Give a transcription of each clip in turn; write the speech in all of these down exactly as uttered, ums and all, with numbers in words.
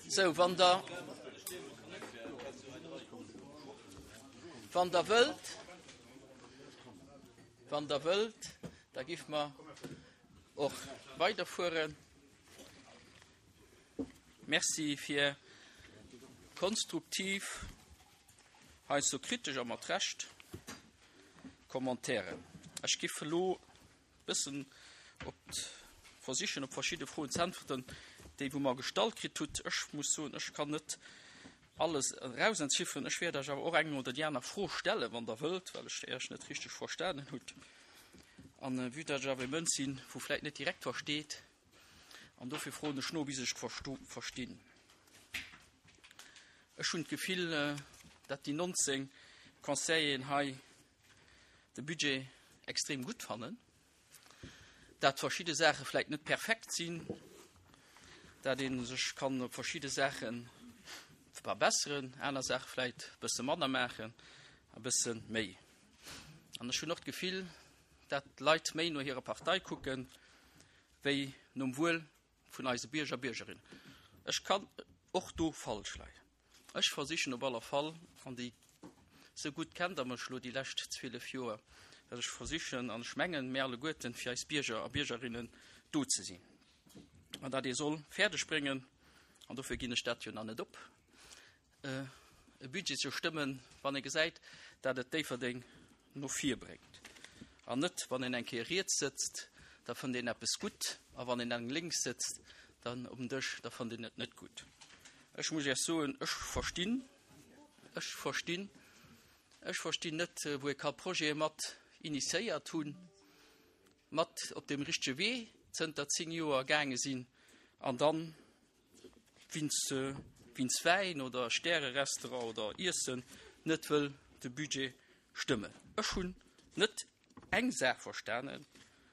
Sou, wann Der, wann Der wëllt, wann Der wëllt, da géife mer och weiderfueren. Merci fir konstruktiv, heiansdo kritesch a mat Recht, Commentairen. Ech géif elo e bëssen op versichen, op verschidde Froen ze äntwerten, déi wou mer gestallt kritt hutt. Ech muss soen, ech kann net alles erausentzifferen. Ech wäert Iech awer och eng oder déi aner Fro stellen, wann Der wëllt, well ech Iech net richteg verstanen hutt. An vue dat ech awer e Mënsch sinn, wou vläicht net direkt versteet, an dofir froen ech no, bis ech verstinn. Ech hunn d'Gefill, dat déi nonzéng Conseilleren hei de Budget extrem gutt fannen, dat verschidde Saache vläicht net perfekt sinn, dat ee sech kann op verschidde Saache verbesseren, aner Saache vläicht e bësse manner maachen, e bësse méi. An ech hunn och d'Gefill, dat d'Leit méi no hirer Partei kucken, wéi nom Wuel vun eise Bierger a Biergerinnen. Ech kann och do falsch leien. Ech versichen op aller Fall, an déi sou gutt kennt Der mech elo déi lescht zwielef Joer, dat ech versichen, an ech mengen, mir alleguerten, fir eis Bierger a Biergerinnen do ze sinn. An dat ee soll fäerdeg bréngen, an dofir ginn ech dat jo nach net op, e Budget ze stëmmen, wann ee gesäit, dat et Déifferdeng no vir bréngt. An net, wann een eng Kéier riets sëtzt, da fënnt een eppes gutt, a wann een eng lénks sëtzt, dann um Dësch, da fënnt een et net gutt. Ech muss Iech soen, ech verstinn, ech verstinn, ech verstinn net, wou ee ka Projete mat initiéiert hunn, mat op deem richtege Wee zënter zéng Joer gaange sinn, an dann wéinst, wéinst Wäin oder Stärerestaurant oder Iessen net wëll de Budget stëmmen. Ech hunn net eng Saach verstanen,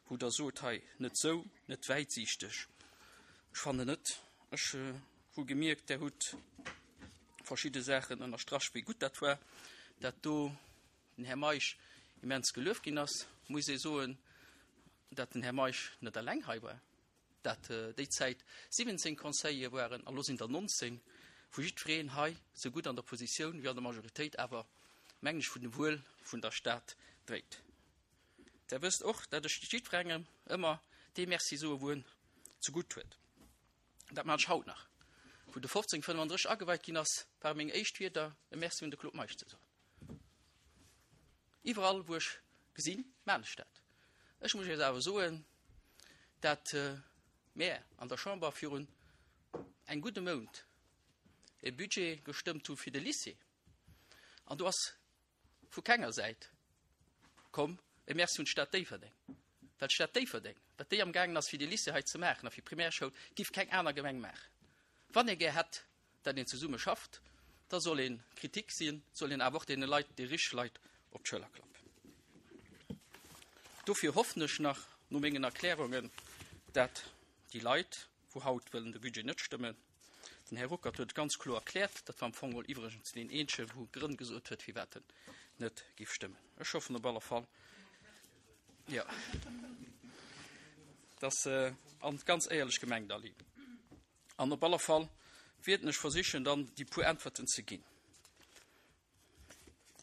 wou Der sot hei, net sou, net wäitsiichteg. Ech fannen net. Ech hu gemierkt, Der hutt verschidde Saachen ënnerstrach, wéi gutt dat war, dat do den Här Meisch immens gelueft ginn ass. Muss ee soen, dat den Här Meisch net eleng hei war, dat déi Zäit siwwenzéng Conseillere waren, a lo sinn der nonzéng, wou jiddwereen hei sou gutt an der Oppositioun wéi an der Majoritéit awer, mengen ech, vun dem Wuel vun der Stad dréit. Der wësst och, dat ech jiddwerengem ëmmer dee Merci soe wou en zegutt huet. Dat maan ech haut nach. Wou de fofzéng fënnefandrësseg ageweit ginn ass, ware meng éischt Wierder e Merci un de Claude Meisch ze soen. Iwwerall wou ech gesinn, maan ech dat. Ech muss Iech awer soen, dat mär an der Chamber virun engem gudde Mount e Budget gestëmmt hu fir de Lycée, an do ass vu kenger Säit komm e Merci un d'Stad Déifferdeng, well d'Stad Déifferdeng, wat déi amgaangen ass fir de Lycée hei ze maachen a fir d'Primärschoul, giff keng aner Gemeng maachen. Wann ee gär hätt, dat een zesumme schafft, da soll ee Kritik sinn, soll een awer och deene Leit, déi richteg Leit, op d'Schëller klappen. Dofir hoffen ech nach, no mengen Erklärungen, dat déi Leit, wou haut wëllen de Budget net stëmmen, den Här Ruckert huet et ganz kloer erkläert, dat war am Fong geholl iwwregens deen eenzege, wou Grënn gesot huet, firwat en net géif stëmmen. Ech hoffen op alle Fall, jo, dass, an ganz éierlech gemengt, Aline, an op alle Fall wierden ech versichen, dann déi puer Äntwerten ze ginn.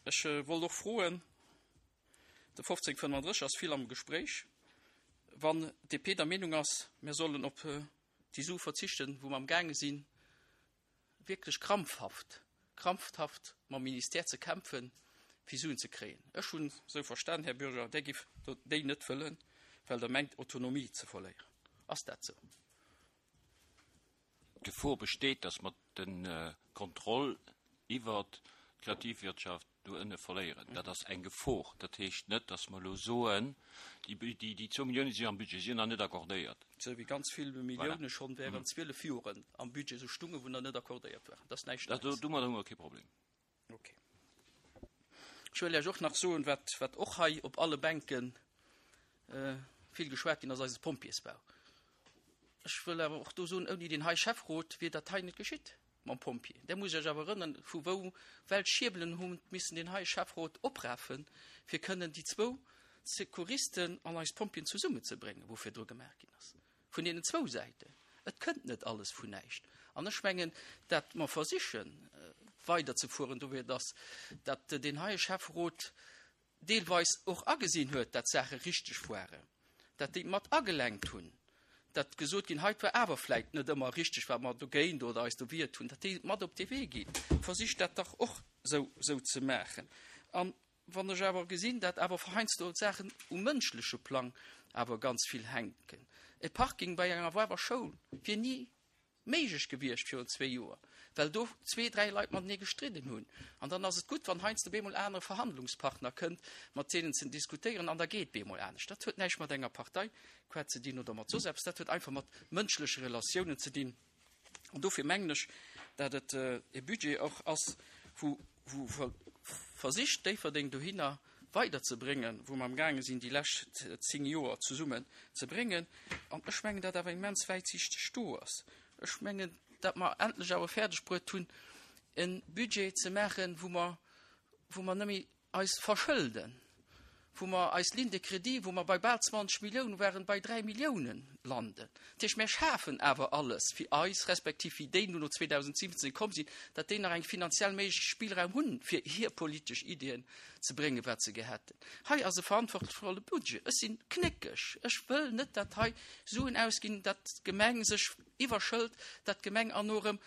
Ech wollt och froen, de fofzéng fënnefandrësseg ass vill am Gespréich, wann d'D P der Meenung ass, mir sollen op déi Sue verzichten, wou mer amgaange sinn, wierklech krampfhaft, krampfhaft mam Ministère ze kämpfen, fir Suen ze kréien. Ech hunn esou verstan, Här Bürger, Der giff déi net wëllen, well Der mengt, Autonomie ze verléieren. Ass dat esou? D'Gefor besteet, dass mer de Contrôle iwwert d'Kreativwirtschaft do ënne verléieren. Dat ass eng Gefor. Dat heescht net, dass mer elo soen, déi zwou Milliounen si am Budget, si sinn nach net accordéiert. Esou wéi ganz vill Millioune schonn während zwielef Joren am Budget esou stungen, wou nach net accordéiert waren. Dat ass näischt Neies. Domadder hu mer kee Problem. Okay. Ech wëll Iech och nach soen, wat, wat och hei op alle Bänke vill geschwat ginn ass, eise Pompjeesbau. Ech wëll awer och do soen, ouni deen hei Schäfferot wier dat hei net geschitt mam Pompjee. Där muss ech awer erënnern, vu wou welch Schierbelen hu missen deen hei Schäfferot oprafen, fir kënnen déi zwou Secouristen an eis Pompjeeën zesummenzebréngen, wou virdru gemaach ginn ass. Vun deenen zwou Säiten. Et kënnt net alles vun näischt. An ech mengen, dat mer versichen weiderzefueren, dofir dass dat deen heie Schäfferot deelweis och agesinn huet, dat d'Saache richteg waren, dat déi mat agelenkt hunn, dat gesot ginn, hei war awer vläicht net ëmmer richteg, wat mer dogéint oder eis do wiert hunn, dat déi mat op de Wee ginn. Versicht dat dach och sou, sou ze maachen. An wann ech awer gesinn, dat awer heiansdo Saachen um mënschleche Plang awer ganz vill hänken. E Parking bei enger Woarwer Schoul wier ni méiglech gewiescht virun zwee Joer, well do zwee, dräi Leit matenee gestridden hunn. An dann ass et gutt, wann heiansdo bemol anere Verhandlungspartner kënnt, mat deenen ze diskutéieren, an da geet bemol anescht. Dat huet näischt mat enger Partei qua ze dinn oder mat soss eppes, dat huet einfach mat mënschleche Relatiounen ze dinn. An dofir mengen ech, dat et e Budget och ass, wou, wou versicht, Déifferdeng dohinner weiderzebréngen, wou mer amgaange sinn, déi lescht zéng Joer zesummen ze bréngen. An ech mengen, dat awer immens wäitsiichteg do ass. Ech mengen, dat mer endlech awer fäerdeg bruet hunn, e Budget ze maachen, wou mer, wou mer net méi eis verschëlden, wou mer eis Ligne de crédit, wou mer bei bal zwanzeg Milliounen waren, bei dräi Milliounen landen. Dat heescht, mir schafen awer alles fir eis, respektiv fir déi, déi no zweedausendsiwwenzéng komm sinn, datt déi nach eng finanziell méiglech Spillraum hunn, fir hir politesch Iddien ze bréngen, wat se gär hätten. Hei ass e verantwortungsvolle Budget. Ech sinn knéckeg. Ech wëll net, datt hei Suen ausginn, datt d'Gemeng sech iwwerschëlt, datt d'Gemeng an no erëm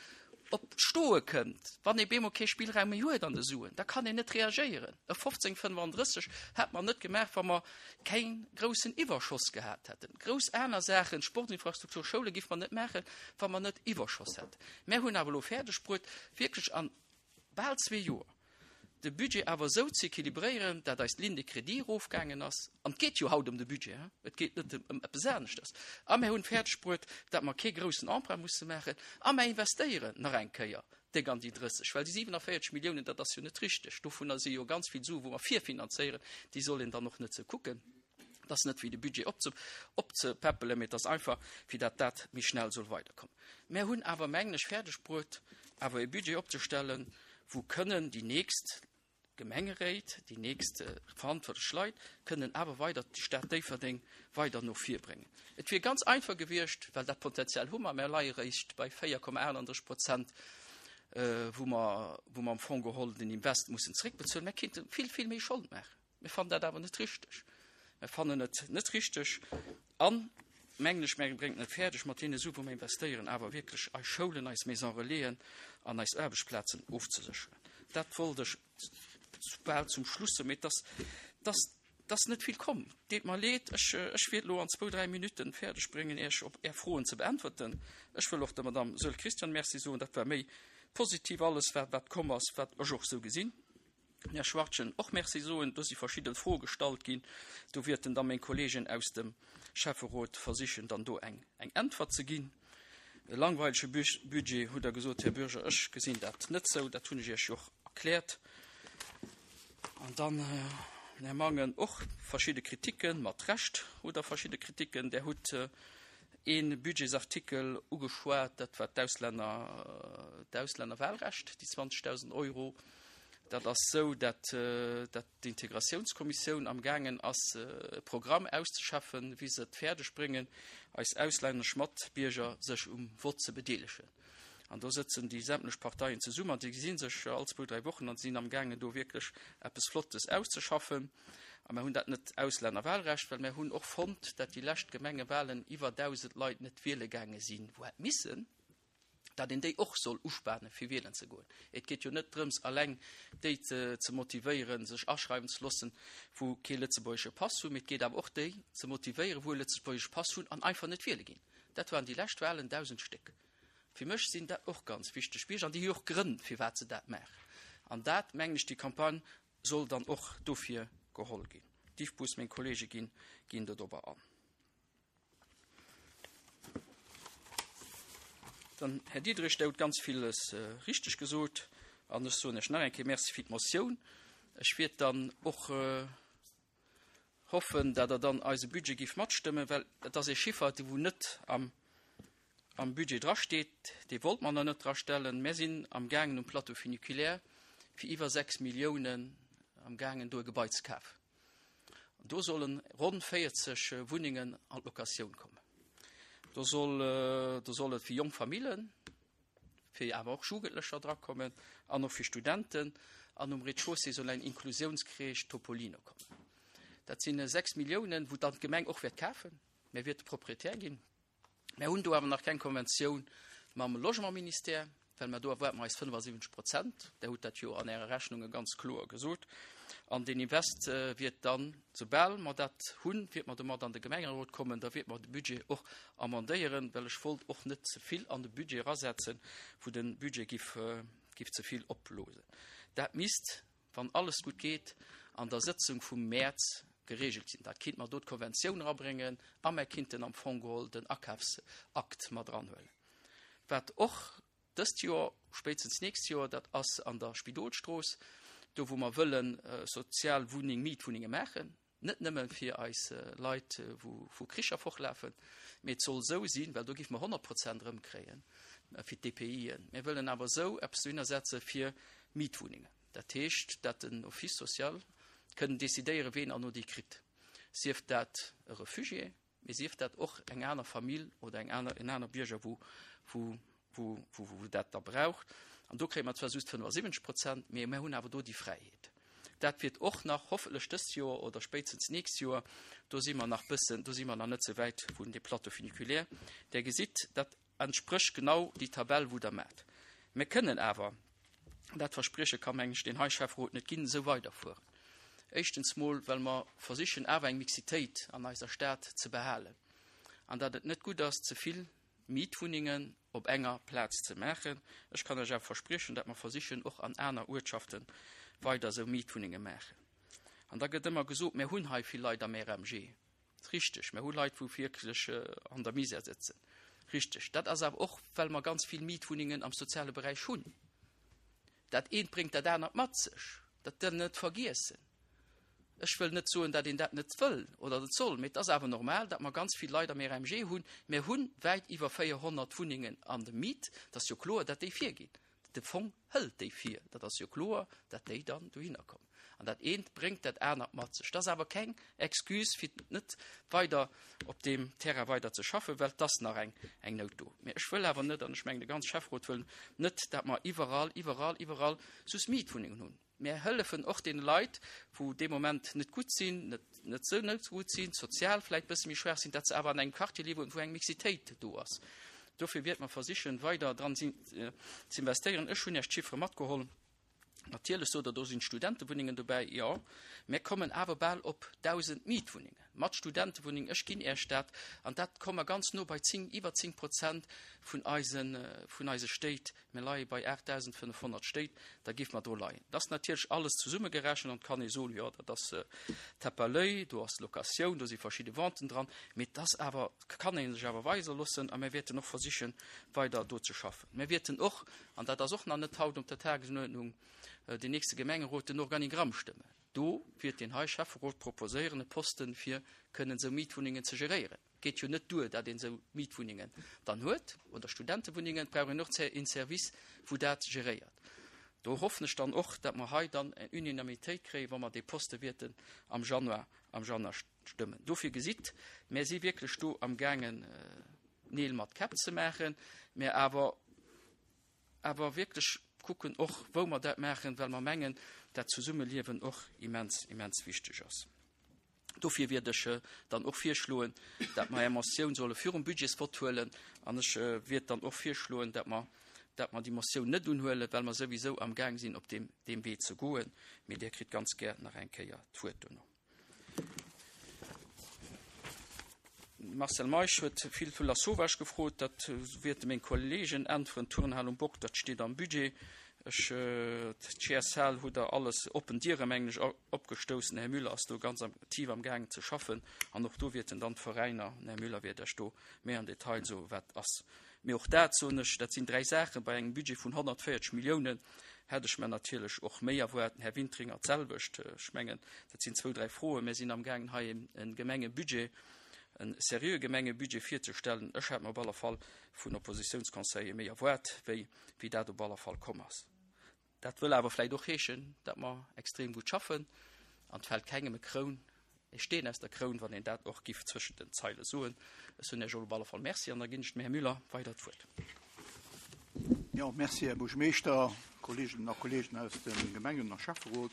op d'Stoe kënnt, wann ee bemol kee Spillraum méi huet an de Suen, da kann een net reagéieren. E fofzéng fënnefandrësseg hätt mer net gemaach, wa mer kee groussen Iwwerschoss gehat hätten. Grouss aner Saachen, Sportinfrastruktur, Schoule géife mer net maachen, wa mer net Iwwerschoss hätten. Mär hunn awer elo fäerdeg bruet, wierklech an bal zwee Joer de Budget awer esou ze equilibréieren, dat eis Ligne de crédit erofgaangen ass, an et geet jo haut ëm de Budget, et geet net ëm eppes aneschters, a mir hunn fäerdeg bruet, dat mer kee groussen Emprunt musse maachen, a mer investéieren nach eng Kéier déck an déi drësseg, well déi siwenavéierzeg Milliounen, dat ass jo net richteg, dovunner si jo ganz vill Sue wou mer virfinanzéieren, déi soll een dann och net sou kucken. Et ass net fir de Budget opzepäppelen, mee et ass einfach fir dat dat méi schnell soll weiderkommen. Mär hunn awer, mengen ech, fäerdeg bruet, awer e Budget opzestellen, wou kënnen déi nächst Gemengeréit, déi nächst verantwortlech Leit kënnen awer weider d'Stad Déifferdeng weider no vir bréngen. Et wier ganz einfach gewiescht, well dat Potenzial hu mer, mer leie réischt bei véier Komma achtandrësseg Prozent, wou mer, wou mer am Fong geholl den Invest mussen zréckbezuelen. Mer kéinte vill, vill méi Schold maachen. Mir fannen dat awer net richteg. Mer fannen et net richteg an, mengen ech, mer bréngen et fäerdeg, mat deene Sue wou mer investéieren, awer wierklech eis Schoulen, eis Maisons relaisen an eis Aarbechtsplazen ofzesécheren. Dat wollt ech bal zum Schluss soen, mee et ass, et ass, et ass net vill komm. Deet mer leed, ech, ech wäert elo an zwou, dräi Minutten fäerdeg bréngen, Iech op Är Froen ze beäntwerten. Ech wëll och der Madame Saeul-Christian Merci soen, dat war méi positiv alles, wat, wat komm ass, wat ech och esou gesinn. Här Schwachtgen och Merci soen. Do si verschidde Froe gestallt ginn. Do wäerten da meng Kollegen aus dem Schäfferot versichen, dann do eng Äntwert ze ginn. E langweilege Budget, hutt Der gesot, Här Bürger. Ech gesinn dat net esou. Dat hunn ech Iech jo och erkläert. An dann, Här Mangen, och verschidde Kriticken, mat Recht hutt Der verschidde Kriticken. Der hutt ee Budgetsartikel ugeschwat, dat war d'Auslänner, d'Auslännerwahlrecht, déi zwanzegdausend Euro. Dat ass esou, dat, dat d'Integratiounskommissioun amgaangen ass, e Programm auszeschaffen, wéi se et fäerdeg bréngen, eis auslännesch Matbierger sech um Vott ze bedeelegen. An do sëtzen déi sämtlech Parteien zesummen an déi gesi sech all zwou, dräi Wochen an sinn amgaangen, do wierklech eppes Flottes auszeschaffen. A mer hunn dat net Auslännerwahlrecht, well mer hunn och fonnt, dat déi lescht Gemengewahlen iwwer dausend Leit net wiele gaange sinn, wou hätt missen, dat een déi och soll uspanen, fir wielen ze goen. Et geet jo net drëms, alleng déi ze motivéieren, sech aschreiwen ze loossen, wou kee lëtzebuergesche Pass hunn, mee et geet awer och déi ze motivéieren, wou e lëtzebuergesche Pass hunn an einfach net wiele ginn. Dat waren déi lescht Wahlen, dausend Stéck. Fir mech sinn dat och ganz wichteg Bierger an déi hu jo och Grënn, firwat se dat maachen. An dat, mengen ech, déi Campagne soll dann och dofir geholl ginn. D'Yves, meng Kollege ginn, ginn dodobber an. Dann, Här Diderich, Der hutt ganz villes richteg gesot an ech soen Iech nach eng Kéier Merci fir d'Motioun. Ech wiert dann och hoffen, datt Der dann eise Budget giff matstëmmen, well et ass ee Chiffer, dee wou net am am Budget drasteet, dee wollt mer nach net drastellen. Mär sinn amgaangen um Plateau funiculaire fir iwwer sechs Milliounen amgaangen do e Gebai ze kafen. An do sollen ronn véierzeg Wunnengen an d'Locatioun kommen. Do soll, do soll et fir jonk Famillen, fir awer och Jugendlecher drakommen an och fir Studenten. An um Rez-de-chaussée soll eng Inklusiounscrèche Topolino kommen. Dat sinn sechs Milliounen, wou dann d'Gemeng och wäert kafen. Mir wäerte Proprietär ginn. Mir hunn do awer nach keng Konventioun mam Logementministère, well mer do erwaarde mer eis fënnefasiwwenzeg Prozent. Der hutt dat jo an Äre Rechnunge ganz kloer gesot. An den Invest wiert dann, soubal mer dat hunn, wiert mer domat an de Gemengerot kommen, da wiert mer de Budget och amendéieren, well ech wollt och net ze vill an de Budget erasetzen, wou de Budget giff, giff ze vill opblosen. Dat misst, wann alles gutt geet, an der Sëtzung vum Mäerz geregelt sinn. Da kinnt mer do d'Konventioun erabréngen a mer kinnten am Fong geholl den Akafsakt mat eranhuelen. Wat och dëst Joer, spéitstens d'nächst Joer, dat ass an der Spidolstrooss, do wou mer wëlle sozial Wunneng, Mietwunnenge maachen, net nëmme fir eis Leit, wou vu Kricher fortlafen, mee et soll esou sinn, well do géife mer honnert Prozent erëmkréien fir d'DPIen. Mir wëllen awer esou eppes dohinner setze fir Mietwunnengen. Dat heescht, dat den Office social kënnen decidéieren, ween herno déi kritt, sief dat e Refugié, mee sief dat och eng aner Famill oder eng aner, en aner Bierger, wou, wou, wou, wou, wou dat da braucht. An do kréie mer zwar just fënnefasiwwenzeg Prozent, mee mir hunn awer do déi Fräiheet. Dat wiert och nach hoffentlech dëst Joer oder spéitstens d'nächst Joer. Do si mer nach bëssen, do si mer nach net sou wäit vun de Plateau funiculaire. Der gesitt, dat entsprécht genau déi Tabell, wou Der maacht. Mir kënnen awer, dat Versprieche ka mengen ech den hei Schäfferot net ginn, esou weiderfueren. Éischtens mol, well mer versichen awer eng Mixitéit an eiser Stad ze behalen an datt et net gutt ass, ze vill Mietwunnengen op enger Plaz ze maachen. Ech kann lech awer verspriechen, datt mer versichen och an aner Uertschafte weider esou Mietwunnenge maachen. An da gëtt ëmmer gesot, mir hunn hei vill Leit am R M G. Richteg, mir hu Leit, wou wierklech an der Misär sëtzen. Richteg. Dat ass awer och, well mer ganz vill Mietwunnengen am soziale Beräich hunn. Dat eent bréngt dat anert mat sech. Dat däerf een net vergiessen. Ech wëll net soen, datt een dat net wëll oder net soll, mee et ass awer normal, datt mer ganz vill Leit am R M G hunn. Mir hu wäit iwwer véierhonnert Wunnengen an der Miet. Dat ass jo kloer, datt déi virginn. De Fong hëlt déi vir. Dat ass jo kloer, datt déi dann dohinner kommen. An dat eent bréngt dat anert mat sech. Dat ass awer keng Excuse fir net weider op deem Terrain weider ze schaffen, well et ass nach eng, eng Nout do. Mee ech wëll awer net, an ech mengen de ganze Schäfferot wëll net, datt mer iwwerall, iwwerall, iwwerall just Mietwunnengen hunn. Mir hëllefen och deene Leit, wou dee Moment net gutt sinn, net, net sou net gutt sinn, sozial vläicht bësse méi schwaach sinn, datt se awer an engem Quartier liewen, wou eng Mixitéit do ass. Dofir wäerte mer versichen, weider dran ze investéieren. Ech hunn Iech d'Chiffere matgeholl. Natierlech sot Der, do sinn Studentewunnengen dobäi. Jo, mir kommen awer bal op dausend Mietwunnengen mat Studentewunnengen. Ech ginn Iech dat. An dat komme mer ganz no bei zéng, iwwer zéng Prozent vun eisen, vun eise Stéit. Mir leie bei aachtdausendfënnefhonnert Stéit, da géife mer do leien. Dat ass natierlech alles zesummegerechent an et kann ee soen, jo, dat ass Tape à l'œil, do ass Locatioun, do si verschidde Venten dran. Mee dat ass awer, kann ee sech awer weise loossen a mir wäerten och versichen, weider do ze schaffen. Mir wäerten och, an dat ass och nach net haut op der Tagesuerdnung, den nächste Gemengerot den Organigramm stëmmen. Do wäert den hei Schäfferot proposéieren e Posten, fir kënnen esou Mietwunnengen ze geréieren. Geet jo net duer, datt een esou Mietwunnengen dann huet oder Studentewunnengen, et brauch een och een Service, wou dat geréiert. Do hoffen ech dann och, datt mer hei dann eng Unanimitéit kréien, wa mer dee Poste wäerten am Januar, am Januar stëmmen. Dofir gesitt, mir si wierklech do am gaangen Neel mat Käpp ze maachen, mä awer awer wierklech kucken och, wou mer dat maachen, well mer mengen, dat Zesummeliewen och immens, immens wichteg ass. Dofir wäert ech dann och virschloen, dat mer eng Motioun solle virum Budgetsvott huelen an ech wäert dann och virschloen, dat mer, dat mer déi Motioun net unhuelen, well mer souwisou am Gaang sinn, op deem, deem Wee ze goen. Mee Dir kritt ganz gär nach eng Kéier d'Wuert dono. Marcel Meisch huet vill vu Lasauvage gefrot, dat wäerte meng Kollegen äntweren. Turnhal um Bock, dat steet am Budget. Ech, d'G S L hutt Der alles oppen Diere mengen ech opgestouss. Den Här Müller ass do ganz aktiv am gaangen ze schaffen an och do wäerten dann d'Veräiner, den Här Müller wäert Iech do méi am Detail soen, wat ass. Mee och dat soen ech, dat sinn dräi Saachen bei engem Budget vun honnertvéierzeg Milliounen, hätt ech mer natierlech och méi erwaart. Den Här Wintringer d'selwecht. Ech mengen, dat sinn zwou, dräi Froen. Mir sinn amgaangen hei e Gemengebudget, e seriöe Gemengebudget virzestellen. Ech hätt mer op alle Fall vun Oppositiounsconseiller méi erwaart, wéi wéi dat op alle Fall komm ass. Dat wëll awer vläicht och heeschen, datt mer extrem gutt schaffen an et fält kengem e Kroun e Steen aus der Kroun, wann een dat och giff zwëschent den Zeile soen. Ech soen Iech op alle Fall Merci an da ginn ech dem Här Müller weider d'Wuert. Jo, Merci, Här Buergermeeschter, Kolleeginnen a Kolleegen aus dem Gemengen a Schäfferot.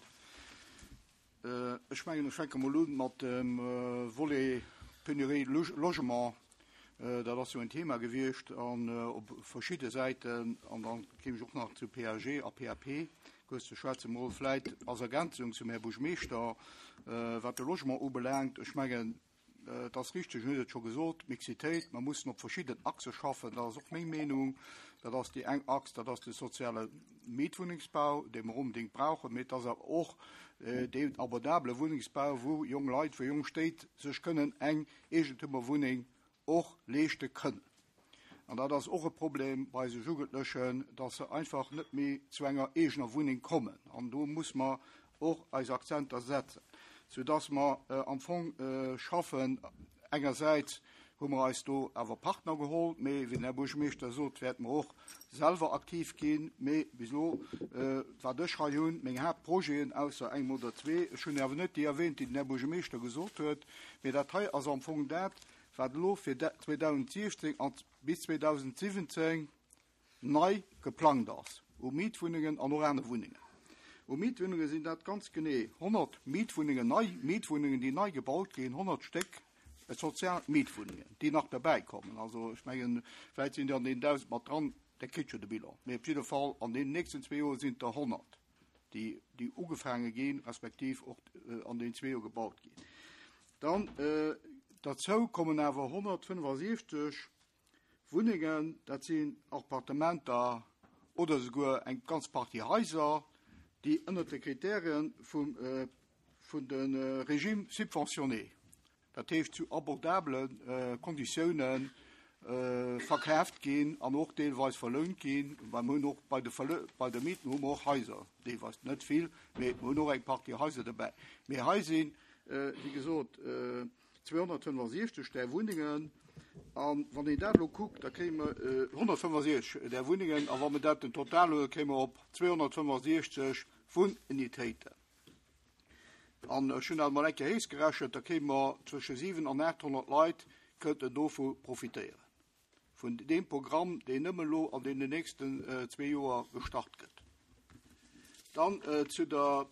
Ech mengen, ech fänke mol un mat dem Volet Pénurie logement. Dat ass jo en Thema gewiescht an op verschidde Säiten. An dann kéim ech och nach zu P A G a P A P kuerz ze schwätzen. Mol vläit als Ergänzung zum Här Buergermeeschter, wat de Logement ubelaangt. Ech mengen, et ass richteg, en huet et scho gesot, Mixitéit, mer mussen op verschidden Achse schaffen, dat ass och meng Meenung. Dat ass déi eng Achs, dat ass de soziale Mietwunnengsbau, dee mer onbedéngt brauchen, mee et ass awer och deen abordabele Wunnengsbau, wou jonk Leit, wou jonk Stéit sech kënnen eng Eegentummerwunneng och leeschte kënnen. An dat ass och e Problem bei eise Jugendlechen, dass se einfach net méi zu enger eegener Wunneng kommen. An do muss mer och eis Akzenter setzen, soudass mer am Fong schaffen. Engersäits hu mer eis do awer Partner geholl, mee wéi den Här Buergermeeschter sot, wäerte mer och selwer aktiv ginn. Mee bis elo, wat ech hei hunn, meng Haaptprojeten, ausser engem oder zwee, ech hunn awer net déi erwähnt, déi den Här Buergermeeschter gesot huet, mee dat hei ass am Fong dat, wat elo fir zweedausendsiechzéng an bis zweedausensiwwenzéng nei geplangt ass u Mietwunnengen an och aner Wunnengen. U Mietwunnenge sinn dat ganz genee honnert Mietwunnengen, nei Mietwunnengen, déi nei gebaut ginn, honnert Stéck sozial Mietwunnengen, déi nach derbäikommen. Also ech mengen, vläicht sinn déi an deenen dausend mat dran, da kritt jo de Bilan. Mee op jidde Fall an deenen nächsten zwee Joer sinn et der honnert, déi, déi ugefaange ginn, respektiv och an deenen zwee Joer gebaut ginn. Dann derzou kommen awer honnertfënnefasiechzeg Wunnengen, dat sinn Appartementer oder souguer eng ganz Partie Haiser, déi ënnert de Kriterien vum, vun de Régime subventionné, dat heescht zu abordabele Konditiounen verkaaft ginn an och deelweis verlount ginn. Well mer hunn och bei de, bei de Mieten hu mer och Haiser, deelweis net vill, mee mer hunn och eng Partie Haiser dobäi. Mee hei sinn, wéi gesot, zweehonnertfënnefasiechzeg där Wunnengen. An wann een dat elo kuckt, da kréie mer honnertfënnefasiechzeg där Wunnengen. A wa mer dat den Total huelen, kréie mer op zweehonnertfënnefasiechzeg Wunnunitéiten. An ech hunn dat mol eng Kéier héichgerechent, da kréie mer zwësche siwen an aathonnert Leit kënnten dovu profitéieren. Vun deem Programm, deen nëmme elo an deenen nächsten zwee Joer gestart gëtt. Dann zu der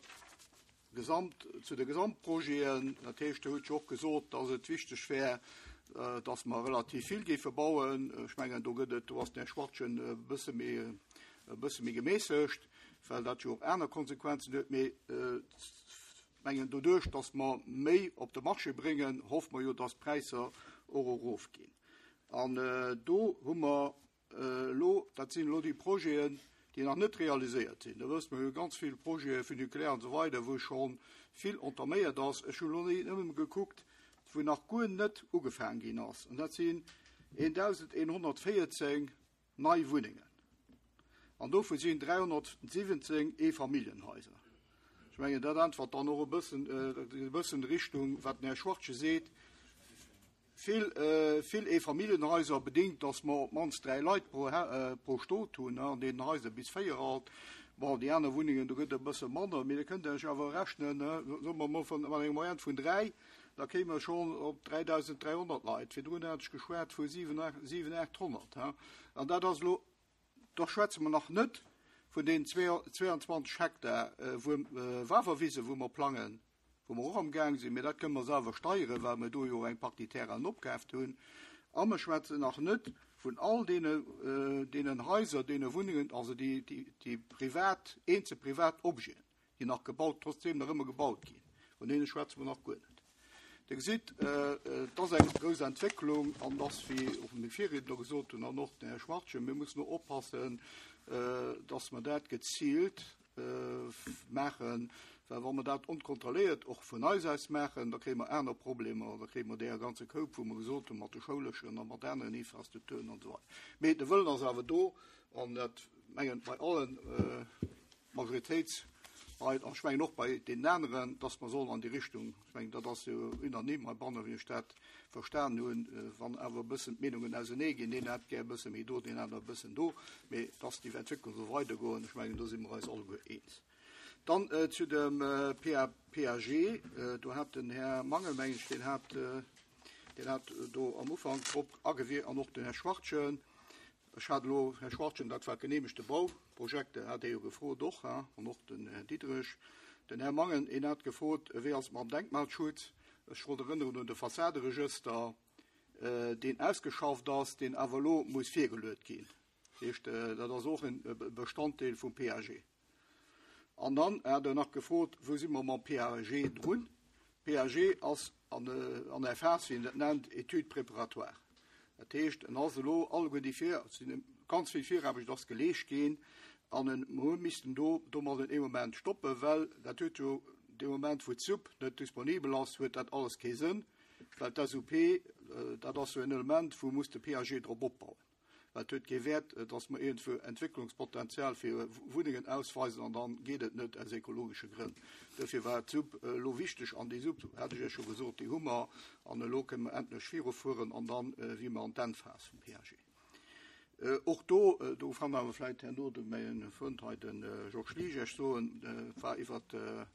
Gesamt, zu de Gesamtprojeten, dat heescht, Der hutt jo och gesot, dass et wichteg wär, dass mer relativ vill géife bauen. Ech mengen, do gëtt et, do ass den Här Schwachtgen e bësse méi, e bësse méi gemässegt, well dat jo och aner Konsequenzen huet. Mee mengen, doduerch, dass mer méi op de Marché bréngen, hoffe mer jo, dass d'Präisser och erofginn. An do hu mer elo, dat sinn elo déi Projeten, déi nach net realiséiert sinn. Do wësst mer, mir hu ganz vill Projete Funiculaire an esou weider, wou scho vill entaméiert ass. Ech hu elo nëmme gekuckt, wou nach guer net ugefaangen ginn ass. An dat sinn dausendeenhonnertvéierzéng nei Wunnengen. An dovu sinn dräihonnertsiwwenzéng Eefamilljenhaiser. Ech mengen, dat äntwert dann och e bëssen, e bëssen Richtung, wat den Här Schwachtgen seet. Vill, vill Eefamilljenhaiser bedingt, dass mer op d'mannst dräi Leit pro, pro Stot hunn, an deenen Haiser bis véier alt. Bon, déi aner Wunnengen, do gëtt e bësse manner, mee da kënnt Der lech awer rechnen, soe mer mol vun, mat enger Moyenne vun dräi, da kéime mer schonn op dräidausend dräihonnert Leit. Virdrun hat ech geschwat vu siwen, siwen, aathonnert. An dat ass elo, do schwätze mer nach net vun den zwéianzwanzeg Hektar wou Wawerwise, wou mer plangen, wou mer och am Gaang sinn, mee dat kënne mer selwer steieren, well mer do jo eng Partie Terrainen opkaaft hunn. A mer schwätzen nach net vun all deene, deenen Haiser, deene Wunnengen, also déi, déi, déi privat, eenzel privat Objeten, déi nach gebaut, trotzdem nach ëmmer gebaut ginn. Vun deene schwätze mer nach guer net. Dir gesitt, et ass eng grouss Entwécklung an dass, wéi och meng Virriedner gesot hunn an och den Här Schwachtgen, mir mussen och oppassen, dass mer dat geziilt maachen, well wa mer dat onkontrolléiert och vun eis aus maachen, da kréie mer aner Problemer, da kréie mer dee ganze Koup, wou mer gesot hunn, mat de schouleschen a mat aneren Infrastrukturen an esou weider. Mee de Wëllen ass awer do an dat mengen bei allen Majoritéitsleit an ech mengen och bei deenen aneren, dass mer sollen an déi Richtung, ech mengen, dat ass jo unanime heibannen, wéi ech dat verstan hunn, wann awer e bëssen d'Meenungen ausenee ginn, deen hätt gär e bësse méi do, deen aner e bëssen do, mee dass déi Entwécklung soll weidergoen, ech mengen, do si mer eis alleguer eens. Dann äh, zu dem äh, P A G, äh, do hat den Här Mangel, mengen ech, deen hat, äh, deen hat äh, do am Ufank drop agewierkt an och den Här Schwartchen. Ech hat elo, Här Schwartchen, dat war geneemegte Bauprojekte, hat jo gefrot och, ha, an och den Här Diderich. Den Här Mangen, en hat gefrot, wéi ass mam Denkmalschutz. Ech wollt erënneren un de Fassaderegëster, äh, deen ausgeschafft ass, deen awer elo muss virgeluecht ginn. Heescht, äh, dat ass och en Bestanddeel vum P A G. An dann hat er nach gefrot, wou si mer mam P A G drun. P A G ass an, äh, an der Phas, wéi een dat nennt, étude préparatoire. Dat heescht, en ass elo alleguer déi vir, sinn ganz vill Viraarbecht ass geleescht ginn, an mir missten do do mol den Moment stoppen, well dat huet jo de Moment, wou d'S U P net disponibel ass, huet dat alles kee Sënn, well d'S U P, äh, dat ass sou en Element, wou muss de P A G drop opbauen. Well et huet kee Wäert, äh, dass mer iergendwou Entwécklungspotenzial fir Wunnengen ausweisen an dann geet et net aus ekologesche Grënn. Dofir war d'S U P äh, lo wichteg an déi S U P, hat ech jo scho gesot, déi hu mer an elo kënne mer endlech virufueren an dann äh, gi mer an d'Endphas vum P A G. Äh, och do, äh, do kann awer vläicht herno de mäi Frënd hei den äh, Georges Ligesch soen, äh, war iwwer äh,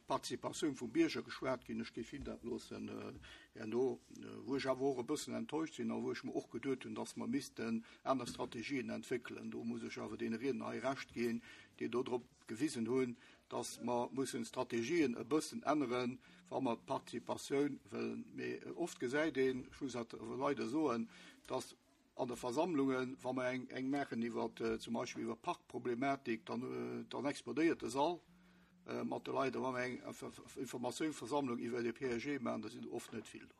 Participatioun vum Bierger geschwat ginn, ech géif him dat loossen äh, herno, äh, wou ech awer och e bëssen enttäuscht sinn, a wou ech mir och geduecht hunn, dass mer missten aner Strategien entwéckelen. Do muss ech awer deene Riedner hei Recht ginn, déi do drop gewisen hunn, dass mer mussen Strategien e bëssen änneren, wa mer Participatioun wëllen. Mee oft gesäit een, ech muss dat leider soen, dass an de Versammlungen, wa mer eng, eng maachen iwwer äh, zum Beispill iwwer Parkproblematik, dann, äh, dann explodéiert de Sall äh, mat de Leit, wa mer eng Informatiounsversammlung iwwer de P A G maachen, da sinn oft net vill do.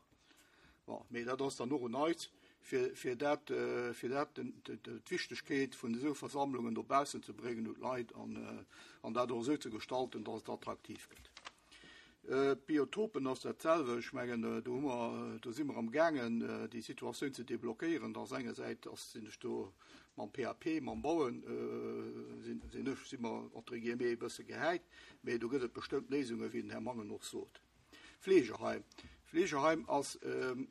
Bon, mee dat ass dann och un eis, fir, fir dat, äh, fir dat d'Wichtegkeet vun esou Versammlungen dobaussen ze bréngen un d'Leit an, äh, an dat och sou ze gestalten, dass et attraktiv gëtt. Äh, Biotopen ass dat selwecht, ech mengen, äh, do, hu mer, do si mer am gaangen, äh, déi Situatioun ze deblockéieren, dat engersäits ass sinn ech do mam P A P, mam Bauen, äh, sinn, sinn ech, si mer entre guillemets e bësse gehäit, mee do gëtt et bestëmmt Léisunge, wéi den Här Mangen och sot. Fleegeheim. Fleegeheim ass, ähm,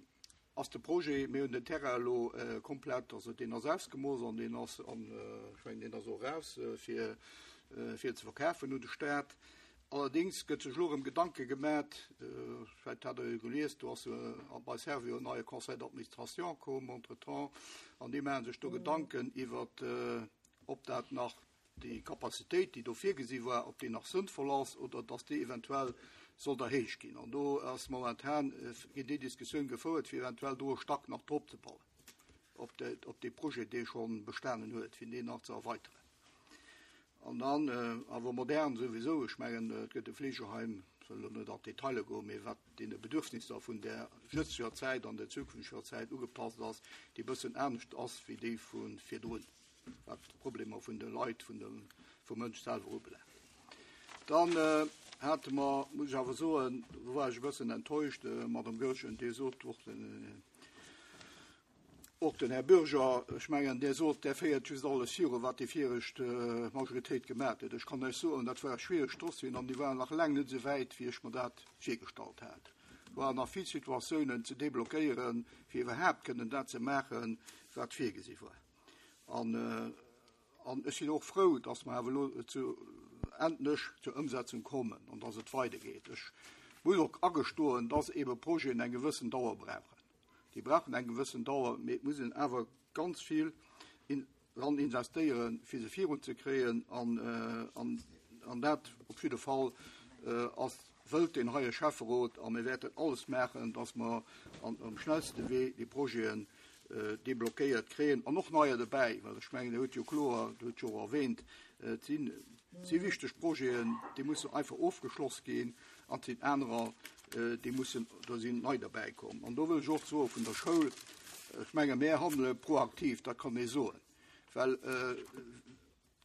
ass de Projet, mir hunn den Terrain elo äh, komplett, also deen ass ausgemooss an deen ass an, äh, ech mengen, deen ass och raus äh, fir, äh, fir ze verkafen un de Staat. Allerdéngs gëtt sech elo erëm Gedanke gemaach, äh, vläicht hat der jo gelies, do ass äh, bei Servior en neie Conseil d'administration komm entretemps, an déi maache sech do Gedanken iwwer, äh, ob dat nach déi Kapazitéit, déi do virgesi war, ob déi nach sënnvoll ass oder dass déi eventuell soll erhéicht ginn. An do ass momentan äh, gëtt déi Diskussioun gefouert, fir eventuell do e Stack nach drop ze bauen. Op de, op de Projet, dee scho bestanen huet, fir deen nach ze erweideren. An dann äh, awer modern souwisou, ech mengen, äh, et gëtt e Fleegeheim, soll net an d'Detailer goen, mee wat deene Bedürfnisser vun der jëtzeger Zäit an der zukünfteger Zäit ugepasst ass, déi bëssen anescht ass wéi déi vu virdrun, wat d'Problemer vun de Leit, vun dem, vum Mënsch selwer ubelaangt. Dann äh, hate mer, muss ech awer soen, do war ech e bëssen enttäuscht, äh, Madame Goergen, déi sot och den, äh, och den Här Bürger, ech mengen, dee sot, dee féiert just alles viru, wat déi viregt äh, Majoritéit gemaach huet. Ech kann lech soen, dat war schwiereg Dossieren an déi waren nach laang net sou wäit, wéi ech mir dat virgestallt hat. Waren nach vill Situatiounen ze deblockéieren, fir iwwerhaapt kënnen dat ze maachen, wat virgesi war. An, äh, an ech sinn och frou, dass mer awer elo zu endlech zur Ëmsetzung kommen an dass et weidergeet. Ech muss och agestoen, dass ebe Projeten eng gewëssen Dauer brauchen. Déi brauchen eng gewëssen Dauer, mee et muss een awer ganz vill in, dran investéieren, fir se virunzekréien an, äh, an, an dat op jidde Fall äh, ass wëllt den heie Schäfferot a mir wäerten alles maachen, dass mer an, am schnellste Wee déi Projeten äh, deblockéiert kréien an och neier dobäi, well ech mengen, huet jo kloer, huet jo erwähnt, äh, sinn si wichteg Projeten, déi mussen einfach ofgeschloss ginn an sinn anerer, äh, déi mussen do sinn nei dobäi kommen. An do wëll ech och soe vun der Schoul, ech menge mir handele proaktiv, dat kann ee soen. Well äh,